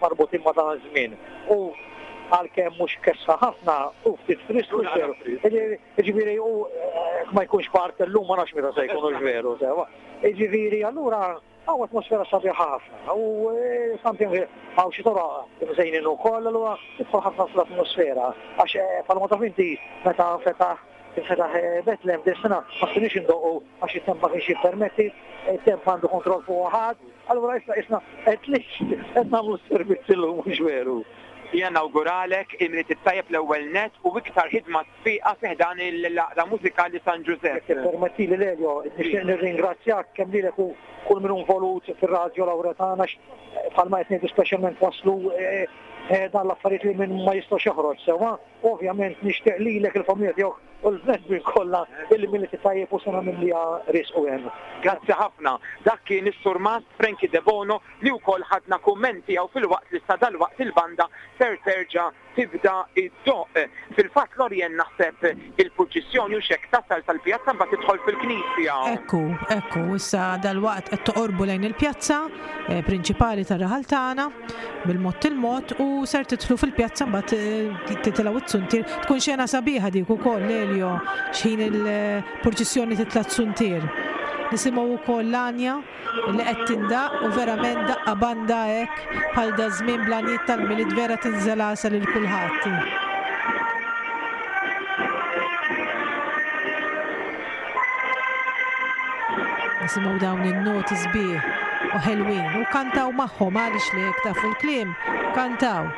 marbutin ma' dan iż-żmien u għalkemm mhux kesħa ħafna hu ftit frisk hux veru. Jiġifieri hu jekk ma jkunx bard illum ma nafx meta se jkun hux veru sewwa. Jiġifieri allura hawn atmosfera sabiħa ħafna u something hawn xi toroq imżejnin ukoll allura tidħol ħafna fl-atmosfera għax bħalma taf inti meta fetaħ infetaħ Betlem din is-sena ma stajniex indoqqu għax it-temp ma kienx jippermetti, it-temp m'għandu kontroll fuqu ħadd, allura issa qisna at least qed nagħmlu s-servizz illum mhux veru. Jiena nawguralek il-Milied it-tajjeb l-ewwel nett u iktar ħidma sfiqa fi ħdan l-Għaqda Mużikali San Ġużepp. Jekk tippermettili Lelio, nixtieq nirringrazzjak kemm lilek u kull min hu involut fir-Radjo Lauretana għax bħalma qed ngħidu speċjalment twasslu dan l-affarijiet li min ma jistgħux joħroġ sewwa. Ovvjament nixtieq lilek, il-familja tiegħek u l-bnedmin kollha il-Milied it-tajjeb u sena mimlija risq u hena. Grazzi ħafna. Dak kien is-Surmast Frankie Debono li wkoll ħadna kumment tiegħu filwaqt li sa dalwaqt il-banda ser terġa' tibda ddoqq. Fil-fatt Lorien naħseb il-purċissjoni hux hekk tasal sal-pjazza mbagħad tidħol fil-knisja. Ekku, ekku, issa dalwaqt qed toqorbu lejn il-pjazza prinċipali tar-raħal tagħna. bil-mod il-mod u ser tidħlu fil-pjazza mbagħad eh, titilgħu t-suntier. Tkun xena sabiħa dik ukoll Elio x'ħin il-purċissjoni titla' t-suntier. Nisimgħu wkoll l-għanja li qed tindaq u verament daqqa banda hekk bħal da żmien bl-għanjiet tal-Milied vera tinżel għasel lil kulħadd. Nisimgħu dawn in-noti sbieħ u ħelwin u kantaw magħhom għaliex li jekk tafu l-kliem, kantaw.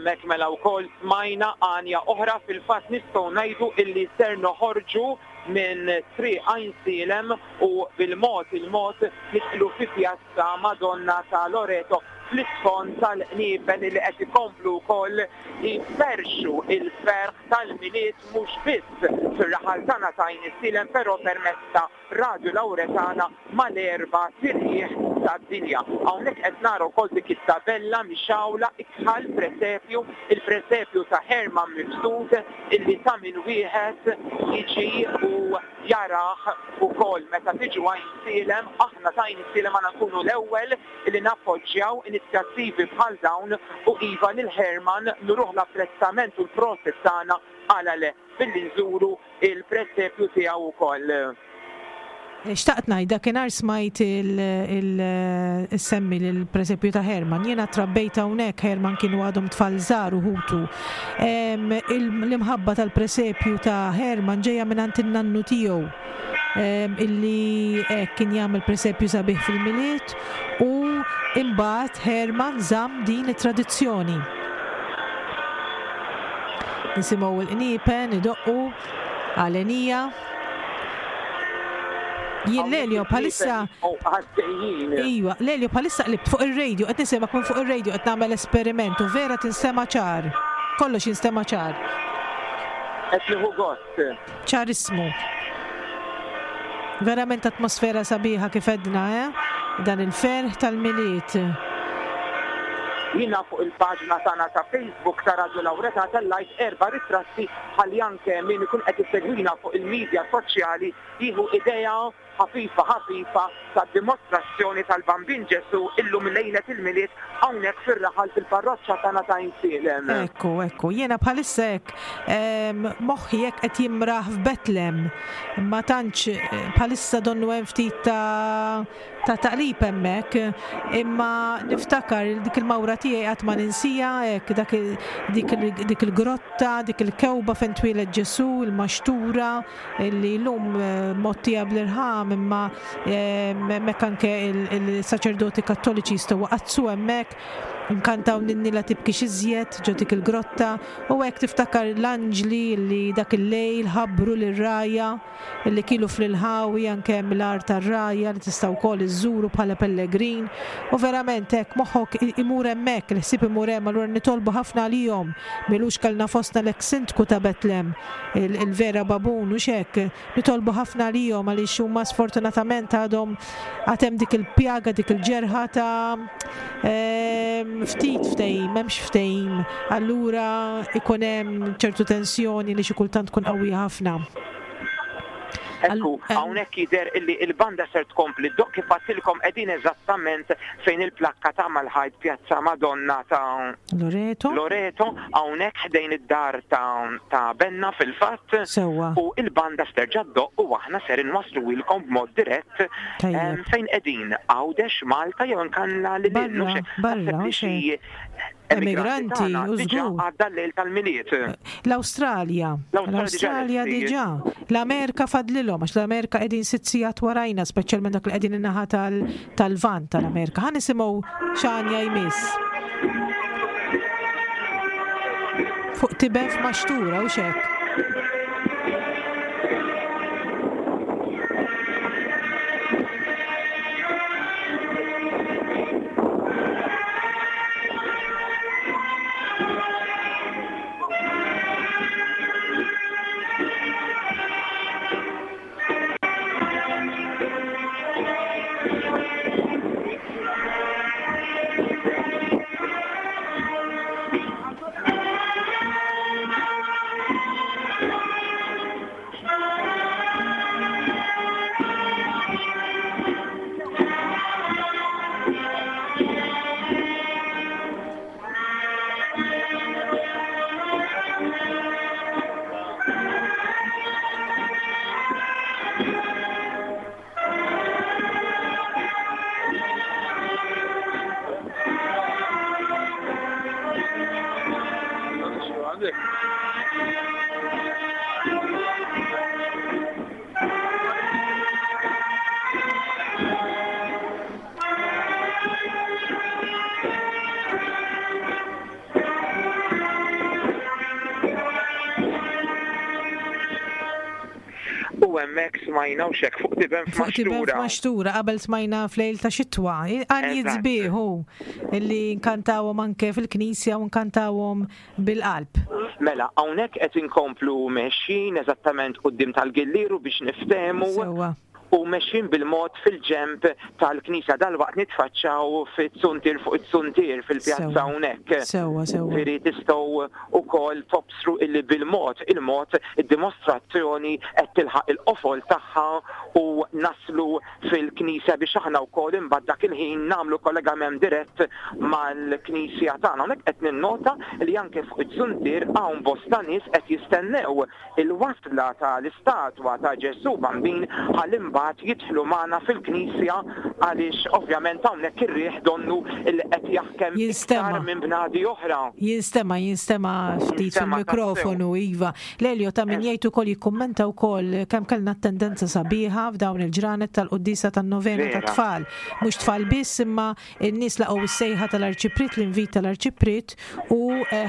Hemmhekk mela wkoll smajna għanja oħra, fil-fatt nistgħu ngħidu illi ser noħorġu minn Triq Għajnsielem u bil-mod il-mod nidħlu fi Pjazza Madonna ta' Loreto fl-isfond tal-qniepen illi qed ikomplu wkoll jferrxu l-ferħ tal-Milied mhux biss fir-raħal tagħna ta' Għajnsielem però permezz ta' Radju Lauretana mal-erba' tirjieħ tad-dinja. Hawnhekk qed nara wkoll dik it-tabella mixgħula ikħal presepju, il-presepju ta' Herman Mifsud illi ta' min wieħed jiġi u jarah ukoll. Meta tiġu Għajnsielem, aħna ta' Għajnsielem għandna nkunu l-ewwel illi nappoġġjaw inizjattivi bħal dawn u iva lil Herman nuruh l-apprezzament u l-prosit tagħna għala le billi nżuru il-presepju tiegħu wkoll. Xtaqt ngħid, dakinhar smajt il-semmi lill-presepju ta' Herman. Jiena trabbejt hawnhekk, Herman kienu għadhom tfal żgħar u ħutu. L-imħabba tal-presepju ta' Herman ġejja mingħand in-nannu tiegħu illi hekk kien jagħmel presepju sabiħ fil-Milied u imbagħad Herman żamm din it-tradizzjoni. Nisimgħu l-qniepen idoqqu għalenija. Jien Lelio bħalissa. Iva, Lelio bħalissa qlibt fuq ir-radio, qed nisimgħek minn fuq ir-radio qed nagħmel esperiment u vera tinstema' ċar. Kollox jinstema' ċar. Qed nieħu gost. Ċarismu. Verament atmosfera sabiħa kif għedna, eh? Dan il-ferħ tal-Milied. Jiena fuq il-paġna tagħna ta' Facebook ta' Radio Lawreta tellajt erba' ritratti ħalli anke min ikun qed isegwina fuq il-media soċjali jieħu idea ħafifa ħafifa tad-dimostrazzjoni tal-Bambin Ġesù illum lejlet il-Milied hawnhekk fir-raħal fil-parroċċa tagħna ta' Għajnsielem. Ekku, ekku. Jiena bħalissa hekk moħħi hekk qed jimraħ f'Betlem. Ma tantx bħalissa donnu hemm ftit ta' ta' taqlib hemmhekk, imma niftakar dik il-mawra tiegħi qatt ma ninsija hekk dak dik il-grotta, dik il-kewba fejn twieled Ġesù, il-maxtura li llum mgħottija bl-irħam imma hemmhekk anke il-saċerdoti Kattoliċi jistgħu iqaddsu hemmhekk, nkantaw Ninni la tibkix iżjed ġo dik il-grotta u hekk tiftakar l-anġli li dak il-lejl ħabbru lir-rgħajja li kielu fl-inħawi anke hemm l-għar tar-rgħajja li tista' wkoll iżżuru bħala pellegrin u verament hekk moħħok imur hemmhekk, il-ħsieb imur hemm allura nitolbu ħafna għalihom. M'ilux kellna fostna l-eks sindku ta' Betlem, il-Vera Babun hux hekk? Nitolbu ħafna għalihom għaliex huma sfortunatament għadhom għad hemm dik il-pjaga, dik il-ġerħa ta' ftit ftehim, m'hemmx ftehim, allura ikun hemm ċertu tensjoni li xi kultant tkun qawwija ħafna. Ekku, hawnhekk jidher illi il-banda ser tkompli ddoqq kif għadtilkom qegħdin eżattament fejn il-plakka ta' mal-ħajt Pjazza Madonna ta' Loreto. Loreto, hawnhekk ħdejn id-dar ta' ta' Benna fil-fatt. Sewwa. U il-banda sterġa' ddoqq u aħna ser inwassluhilkom b'mod dirett fejn qegħdin Għawdex, Malta jew inkella lil hinn. Barra, barra, Naħseb li xi Emigranti, tagħna u diġà żgur. għadda l-lejl tal-Milied. L-Awstralja. L-Awstralja diġà L-Awstralja lesti. diġà. L-Amerika fadlilhom għax l-Amerika qegħdin sitt sigħat warajna, speċjalment dak li qegħdin in-naħa tal-Lvant tal-Amerika. Ħa nisimgħu x'għanja jmiss. Fuq tiben f'maxtura u xek. U hemmhekk smajna u xek fuq tiben Fuq tiben f'maxtura. f'maxtura qabel smajna f'lejl ta' xitwa. Għanjiet Eżatt. sbieħ hu illi nkantawhom anke fil-knisja u nkantawhom bil-qalb. Mela, hawnhekk qed inkomplu mexjin eżattament quddiem tal-Gillieru biex niftehmu. Sewwa. U mexjin bil-mod fil-ġenb tal-knisja dalwaqt nitfaċċaw fit-zuntier fuq it-zuntier fil-pjazza Sewwa. hawnhekk. Sewwa, sewwa. Ġifieri tistgħu wkoll tobsru illi bil-mod il-mod id-dimostrazzjoni qed tilħaq il-qofol tagħha u naslu fil-knisja biex aħna wkoll imbagħad dak il-ħin nagħmlu kollegament dirett mal-knisja tagħna. Hawnhekk qed ninnota li anke fuq iz-zuntier hawn bosta nies qed jistennew il-wasla tal-istatwa ta' Ġesù Bambin ħalli mbagħad jidħlu magħna fil-knisja għaliex ovvjament hawnhekk ir-riħ donnu li qed jaħkem Jinstema'. iktar minn bnadi oħra. Jinstema, jinstema ftit Jinstema' fil-mikrofonu, Iva. Lelio ta' min jgħid ukoll jikkummenta wkoll kemm kellna tendenza sabiħa f'dawn il-ġranet tal-quddiesa tan-novena Vera. tat-tfal. Mhux tfal biss imma n-nies laqgħu s-sejħa tal-Arċipriet, l-invit tal-Arċipriet u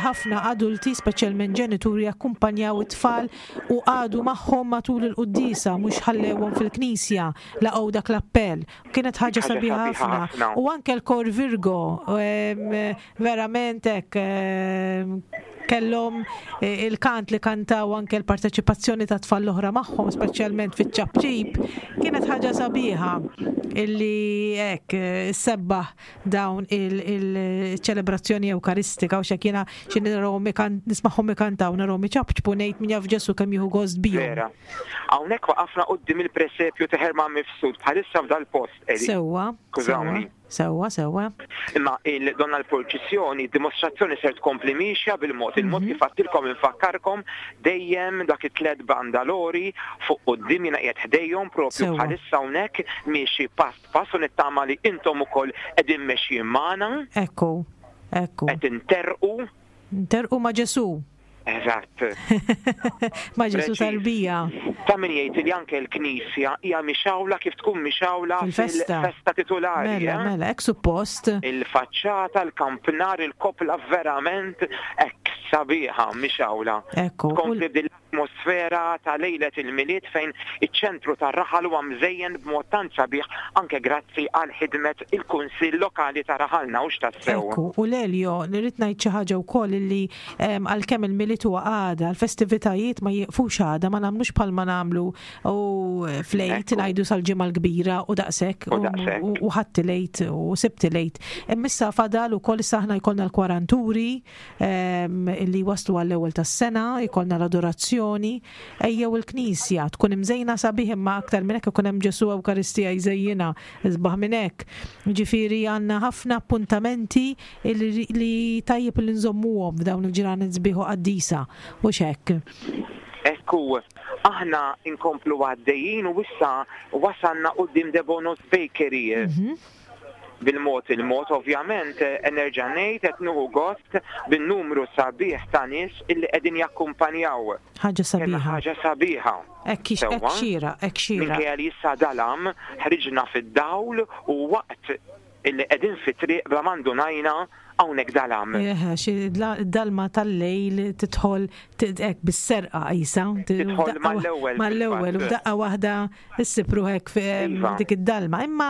ħafna adulti, speċjalment ġenituri, akkumpanjaw it-tfal u qagħdu magħhom matul il-quddiesa, mhux ħallewhom fil-knisja, laqgħu dak l-appell. Kienet ħaġa Ħaġa sabiħa sabiħa ħafna. ħafna. U anke l-Kor Virgo, verament hekk kellhom il-kant li kantaw anke l-parteċipazzjoni ta' tfal l-oħra magħhom, speċjalment fiċ-ċapċip, kienet ħaġa sabiħa illi hekk sebbaħ dawn il-ċelebrazzjoni ewkaristika u xek jiena xi narahom nismagħhom ikantaw narahom iċapċpu ngħid min jaf Ġesu kemm jieħu gost bihom. Vera. Hawnhekk waqafna quddiem il-presepju ta' Herman Mifsud bħalissa f'dal-post, Eli. Sewwa, Skużawni. sewwa, sewwa. Imma il-donna l-purċissjoni, dimostrazzjoni ser tkompli miexja bil-mod. Il-mod kif għattilkom infakkarkom dejjem dak it-tlet bandalori fuq quddiem jiena qiegħed ħdejhom propju bħalissa hawnhekk miexi pass pass u nittama li intom ukoll qegħdin mexjin magħna. Ekku, ekku. Qed interqu. Interqu ma' Ġesu. Eżatt. Ma' Ġesu Preċiż. tarbija. Ta' min jgħid li anke l-Knisja hija mixawla kif tkun mixawla Fil-festa. fil-festa titulari. Mela, eh? mela, hekk suppost. Il-faċċata, l-kampnar, il-kopla verament hekk sabiħa mixawla. Ekku. Tkompli din l-atmosfera ta' lejlet il-Milied fejn iċ-ċentru tar-raħal huwa mżejjen b'mod tant sabiħ anke grazzi għal ħidmet il-Kunsill Lokali ta' Raħalna u x'tassew. Ekku, u Lelio, nirrid ngħid xi ħaġa wkoll illi għalkemm il-Milied huwa għada, l-festivitajiet ma jieqfux għada, ma nagħmlux bħalma nagħmlu u fl-Għid ngħidu sal-ġimgħa l-kbira u daqshekk U daqshekk. u ħadd il-Għid u Sibt il-Għid. Imma issa fadal ukoll issa aħna jkollna l-kwaranturi illi waslu għall-ewwel tas-sena, jkollna l-adorazzjoni, ejjew il-Knisja tkun imżejna sabiħ imma aktar minn hekk ikun hemm Ġesu Ewkaristija jżejjinha isbaħ minn hekk. Ġifieri għandna ħafna appuntamenti li tajjeb li nżommuhom f'dawn il-ġranet sbieħ u qaddisa u x'hekk. Ekku, aħna inkomplu għaddejjin u issa wasalna quddiem Debono's Bakery. Bil-mod il-mod, ovvjament, nerġa' ngħid qed nieħu gost bin-numru sabiħ ta' nies illi qegħdin jakkumpanjaw. Ħaġa Kemm sabiħa. ħaġa sabiħa. Hekk hekk Sewwa? xira, hekk xira. Minkejja li issa dalam, ħriġna fid-dawl u waqt illi qegħdin fit-triq bla ma ndunajna hawnhekk dalam. Eħe, xi dalma tal-lejl tidħol hekk bis-serqa qisha. Tidħol mal-ewwel Mal-ewwel, u fil-fatt. f'daqqa waħda issib ruħek dik id-dalma. Imma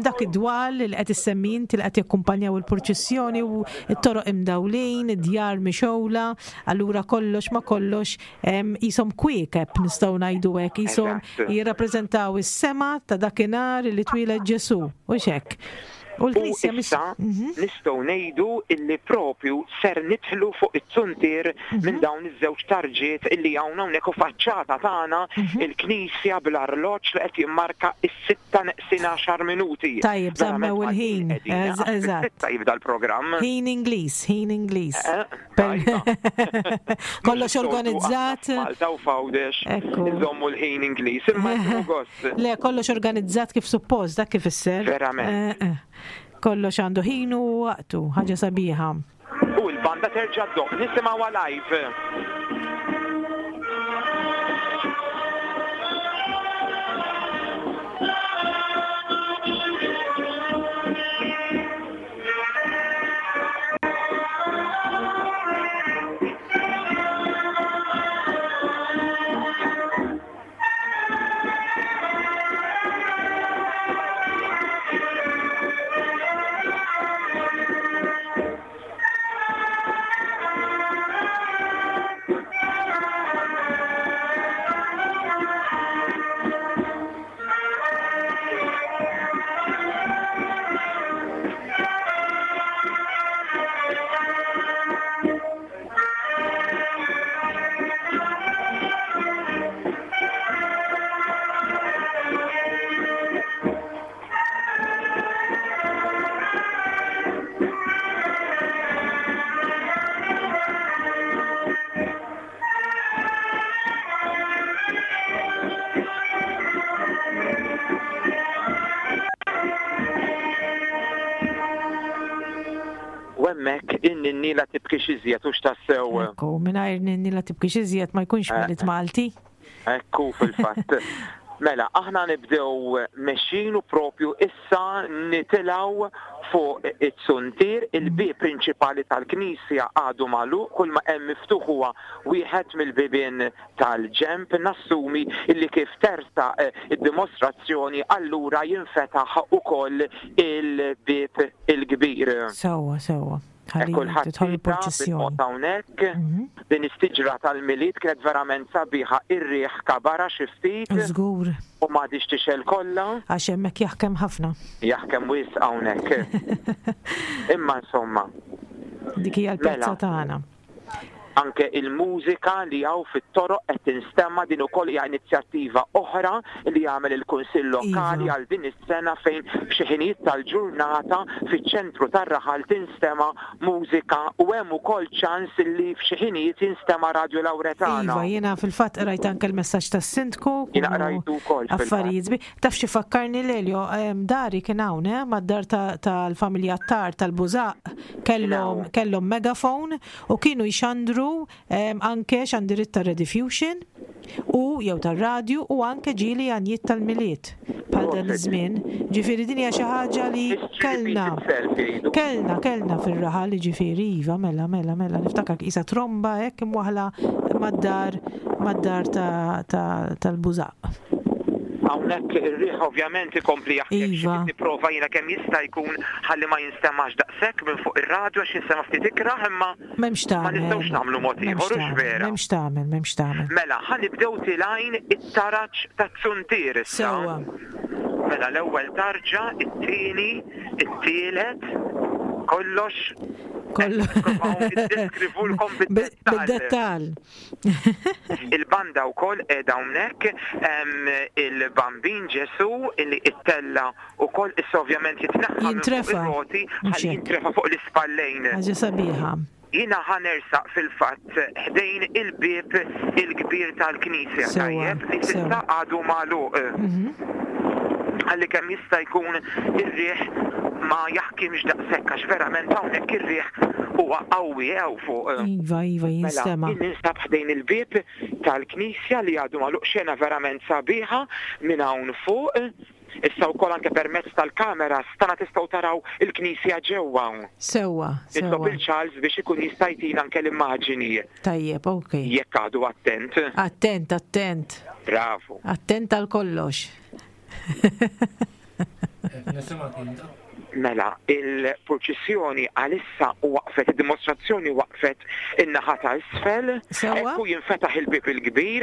dak id-dwal li qed issemmi inti li qed jakkumpanjaw il-purċissjoni u t-toroq imdawlin, id-djar mixgħula, allura kollox ma kollox qishom kwiekeb nistgħu ngħidu hekk, qishom jirrappreżentaw is-sema ta' dakinhar li twieled Ġesu, u x'hekk. U l-Knisja U issa nistgħu ngħidu illi propju ser nidħlu fuq it-zuntier minn dawn iż-żewġ tarġiet illi hawn hawnhekk u faċċata tagħna il-Knisja bl-arloġġ li qed jimmarka is-sitta neqsin għaxar minuti. Tajjeb, Verament żammew il-ħin. qegħdin, għax Eżatt. fis-sitta jibda l-programm. Ħin Ingliż, ħin Ingliż. Tajba. Kollox Mhux is-soltu organizzat. aħna f'Malta u f'Għawdex Ekku. nżommu l-ħin Ingliż, imma nieħu gost. Le, kollox organizzat kif suppost, dak kif isser. Verament. Kollox għandu ħin u waqtu, ħaġa sabiħa. U l-banda terġa' ddoqq, nisimgħuha live. hemmhekk in-ninni la tibkix iżjed hux tassew. Ekku, mingħajr ninni la tibkix iżjed ma jkunx Milied Malti. Ekku fil-fatt. Mela, aħna nibdew mexjin u propju issa nitilgħu fuq it-suntier, il-bieb prinċipali tal-knisja għadu magħluq, kull ma hemm miftuħ huwa wieħed mill-bibien tal-ġenb. Nassumi illi kif tersaq id-dimostrazzjoni allura jinfetaħ ukoll il-bieb il-kbir. Sewwa, sewwa. Ħalli Kulħadd tidħol tita il-purċissjoni. bil-mod hawnhekk. Din is-siġra tal-Milied kienet verament sabiħa, ir-riħ kabarha xi ftit Żgur, u m'għadhiex tixgħel kollha. għax hemmhekk jaħkem ħafna. Jaħkem wisq hawnhekk. Imma insomma, Dik hija l-pjazza Mela. tagħna. Anke il-mużika li hawn fit-toroq qed tinstema' din ukoll hija inizjattiva oħra li għamel il-Kunsill Lokali Iva. għal din is-sena fejn f'xi ħinijiet tal-ġurnata fiċ-ċentru tar-raħal tinstema' mużika u hemm ukoll ċans li f'xi ħinijiet jinstema' Radju Lawretana. Iva, jiena fil-fatt qrajt anke l-messaġġ tas-sindku. Jiena kienu qrajtu wkoll fil-fatt. Affarijiet sbieħ. Taf xi fakkarni Lelio, dari kien hawn, eh, mad-dar tal-familja Attard tal-Bużaq, kellhom kellhom megafon u kienu jxandru anke xandiriet tar-Rediffusion u jew tar-radju u anke ġieli għanjiet tal-Milied bħal dan iż-żmien. Ġifieri din hija xi ħaġa li kellna. Kellna, kellna fir-raħal, jiġifieri iva, mela, mela, mela, niftakar qisha tromba hekk imwaħħla mad-dar mad-dar tal-Bużaq. Hawnhekk ir-riħ ovvjament ikompli jaħkem xi Iva. ftit nipprova jiena kemm jista' jkun ħalli ma jinstemax daqshekk minn fuq ir-radju għax jinstema' ftit ikrah imma M'hemmx ma tagħmel. nistgħux nagħmlu mod M'hemmx ieħor hux tagħmel, vera. m'hemmx tagħmel, m'hemmx tagħmel. Mela, ħa nibdew tilgħin it-taraġ taz-zuntier issa. Sewwa. Mela l-ewwel tarġa, it-tieni, it-tielet, kollox Kollu. Nippruvaw niddeskrivulkom bid-dettall. Bid-dettall. Il-banda wkoll qiegħda hawnhekk, hemm il-Bambin Ġesu illi ittella wkoll issa ovvjament jitneħħa minn fuq Jintrefa'. ir-roti Mhux ħalli hekk. jintrefa' fuq l-ispallejn. Ħaġa sabiħa. Jiena ħa nersaq fil-fatt ħdejn il-bieb il-kbir tal-knisja, Sewwa, tajjeb, li s'issa sewwa. għadu magħluq. Ħalli kemm jista' jkun ir-riħ ma jaħkimx daqshekk għax verament hawnhekk ir-riħ huwa qawwi hawn fuq. Iva, iva, Mela, jinstema'. jien ninsab ħdejn il-bieb tal-knisja li għadu magħluq xena verament sabiħa minn hawn fuq. Issa wkoll anke permezz tal-kameras tagħna tistgħu taraw il-knisja ġewwa. Sewwa, Nitlob sewwa. il Charles biex ikun jista' jtina anke l-immaġini. Tajjeb, ok. Jekk għadu attent. Attent, attent. Bravu. Attent għal kollox. Nisimgħek inta. Mela, il-purċissjoni għalissa waqfet, id-dimostrazzjoni waqfet in-naħa ta' isfel. Sewwa. Ekku jinfetaħ il-bieb il-kbir,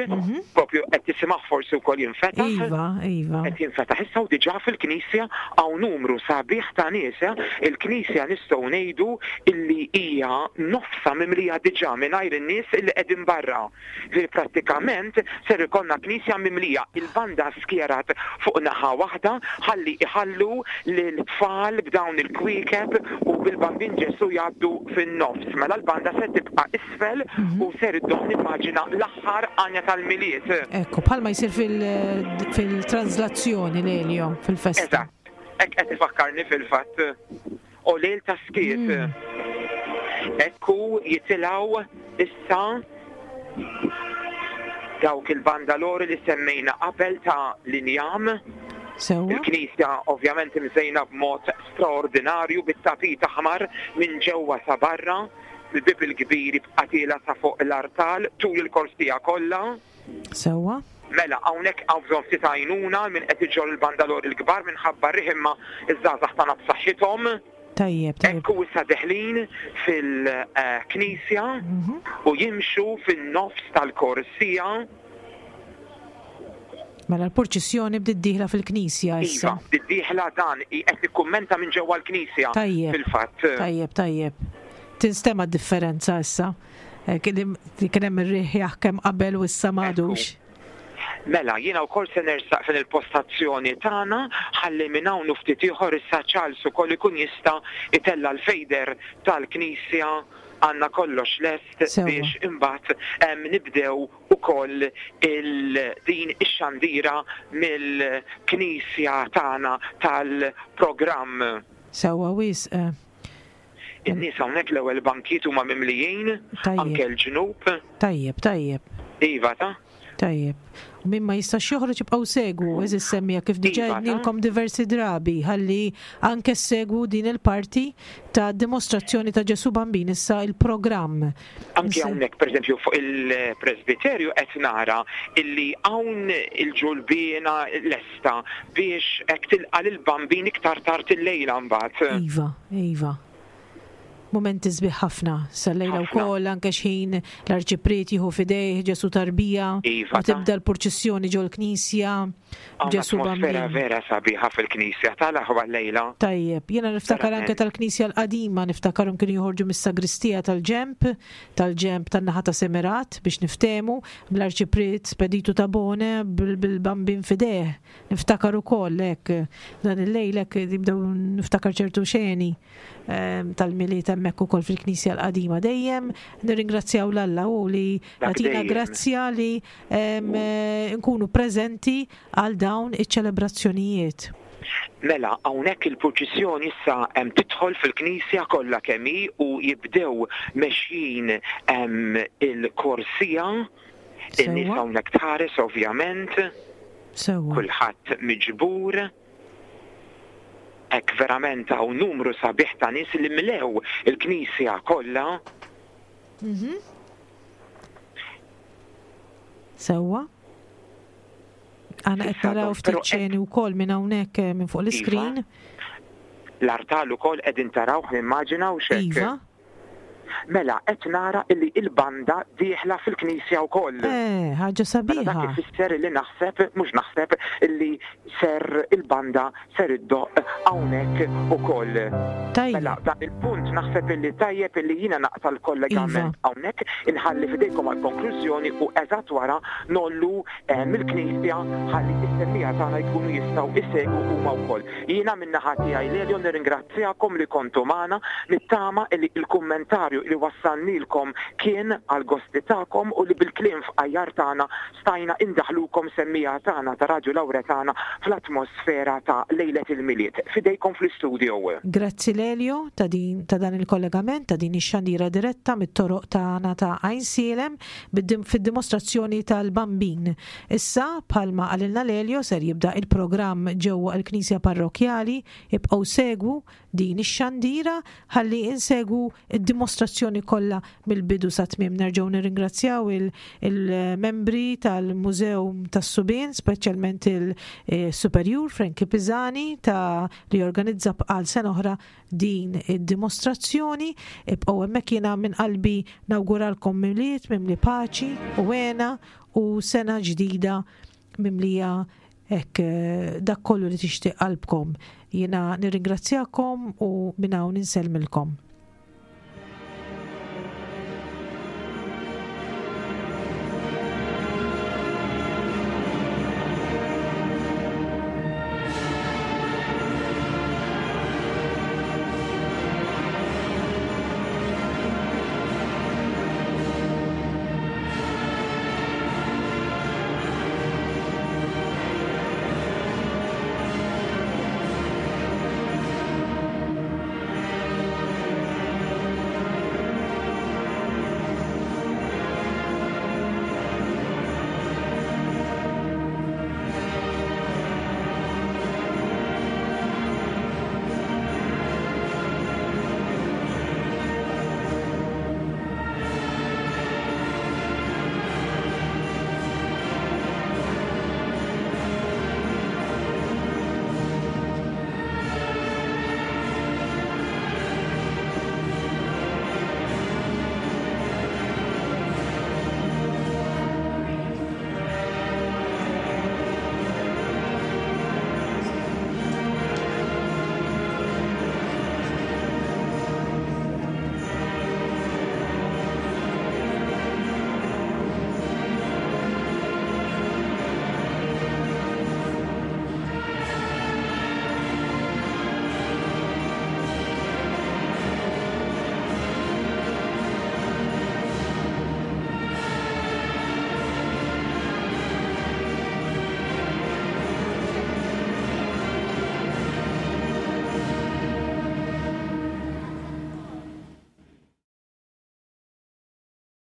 propju qed tisimgħu forsi wkoll jinfetaħ. Iva, iva. Qed jinfetaħ issa u diġà fil-knisja hawn numru sabiħ ta' nies. eh. Il-knisja nistgħu ngħidu illi hija nofsa mimlija diġà mingħajr in-nies illi qegħdin barra. Ġifieri prattikament ser ikollna knisja mimlija. Il-banda skjerat fuq naħa waħda ħalli iħallu lil tfal b'dawn il-kwiekeb u bil-Bambin Ġesu jgħaddu fin-nofs. Mela l-banda se tibqa' isfel u ser iddoħ nimmaġina l-aħħar għanja tal-Milied. Ekku, bħalma jsir fil-translazzjoni Lelio, fil-festa. Eżatt. Hekk qed ifakkarni fil-fatt. O lejl ta' skiet. Ekku jitilgħu issa dawk il-bandalori li semmejna qabel ta' l-injam. Sewwa. Il-knisja ovvjament imżejna b'mod straordinarju bit-tapit aħmar minn ġewwa sa barra, il-bieb il-kbir jibqa' tiela' sa fuq l-artal tul il-korsija kollha. Sewwa. Mela, hawnhekk hawn bżonn ftit għajnuna min qed iġorr il-bandalori l-kbar minħabba r-riħ imma ż-żgħażagħ tagħna b'saħħithom. Tajjeb, tajjeb. Ekku issa deħlin fil-knisja u jimxu fin-nofs tal-korsija. Mela l-purċissjoni bdiet dieħla fil-knisja issa. Iva, bdiet dieħla dan qed nikkummenta minn ġewwa l-knisja. Tajjeb. Fil-fatt. Tajjeb, tajjeb. Tinstema' d-differenza issa. Eh, Kien kien hemm ir-riħ jaħkem qabel u issa m'għadux. Mela, jiena wkoll se nersaq fejn il-postazzjoni tagħna ħalli minn hawn u ftit ieħor issa Charles ukoll ikun jista' itella' l-fejder tal-knisja għandna kollox lest Sewwa. biex imbagħad em, nibdew ukoll il din ix-xandira mill-knisja tagħna tal-programm. Sewwa wisq. eh. In-nies hawnhekk l-ewwel bankijiet huma mimlijin, anke l-ġnub. Tajjeb, tajjeb. Iva ta. Tajjeb. U min ma jistax joħroġ ibqgħu segwu, eżis semmija kif diġà Iva, ta. għednilkom diversi drabi ħalli anke segwu din il-parti ta' dimostrazzjoni ta' Ġesu Bambin issa il-programm. Anke hawnhekk pereżempju fuq il-presbiterju qed nara illi hawn il-ġulbiena lesta biex hekk tilqa' lill-Bambin iktar tard illejla mbagħad. Iva, iva. Mumenti sbieħ ħafna. Sal-lejla wkoll anke x'ħin l-Arċipriet jieħu f'idejh Ġesù tarbija Iva, u tibda l-purċissjoni ġol-knisja Hawn b'Ġesù atmosfera Bambin. vera sabiħa fil-knisja tal-aħwa llejla. Tajjeb, jiena niftakar anke Verament. tal-knisja l-qadima, niftakarhom kienu joħorġu mis-sagristija tal-ġenb, tal-ġenb tan-naħa ta' Semerat biex niftehmu, bl-Arċipriet Spedito Tabone bil-Bambin f'idejh. Niftakar ukoll hekk dan il-lejl hekk jibdew niftakar ċertu xeni. Ehm, tal-Milied hemmhekk ukoll fil-Knisja l-Qadima. Dejjem nirringrazzjaw 'l Alla u li jagħtina grazzja li ehm, eh, nkunu preżenti għal dawn iċ-ċelebrazzjonijiet. Mela, hawnhekk il-purċissjoni issa hemm tidħol fil-knisja kollha kemm hi u jibdew mexjin il-korsija. In-nies hawnhekk tħares ovvjament. Sewwa. Kulħadd miġbur. Hekk verament hawn numru sabiħ ta' nies li mlew il-knisja kollha. Mhm. Sewwa. Aħna qed naraw ftit xeni wkoll minn hawnhekk eh, minn fuq l-iskrin. Iva. L-artal ukoll qegħdin tarawh nimmaġina u xek. Iva. Mela, qed nara illi il-banda dieħla fil-knisja wkoll. Eh, ħaġa Mela dak sabiħa. ifisser illi naħseb, mhux naħseb, illi ser il-banda ser iddoqq hawnhekk ukoll. Tajjeb. Mela, dan il-punt naħseb illi tajjeb illi jiena naqta' l-kollegament hawnhekk, inħalli f'idejkom għall-konklużjoni u eżatt wara ngħollu eh, mill-knisja ħalli s-semmiegħa tagħna jkunu jistgħu jsegwu huma wkoll. Jiena min-naħa tiegħi Lelio nirringrazzjakom li kontu magħna, nittama li l-kummentarju li wassalnielkom kien għall-gosti tagħkom u li bil-kliem fqajjar tagħna stajna indaħħlukom semmiegħa tagħna ta' Radju Lawretana fl-atmosfera ta' lejlet il-Milied. F'idejkom fl-istudio. Grazzi Lelio ta' din ta' dan il-kollegament, ta' din ix-xandira diretta mit-toroq tagħna ta' Għajnsielem fid-dimostrazzjoni tal-Bambin. Issa, bħalma qalilna Lelio, ser jibda il-programm ġewwa l-Knisja Parrokkjali, ibqgħu segwu din ix-xandira ħalli insegwu d-dimostrazzjoni kollha mill-bidu sat-tmiem. Nerġgħu nirringrazzjaw il-membri tal-Mużew tas-Subien, speċjalment il-Superjur Frankie Pisani ta' li jorganizza għal sena oħra din id-dimostrazzjoni. Ibqgħu hemmhekk jiena minn qalbi nawguralkom Milied mimli paċi u hena u sena ġdida mimlija hekk eh, dak kollu li tixtieq qalbkom. Jiena nirringrazzjakom u minn hawn insellmilkom.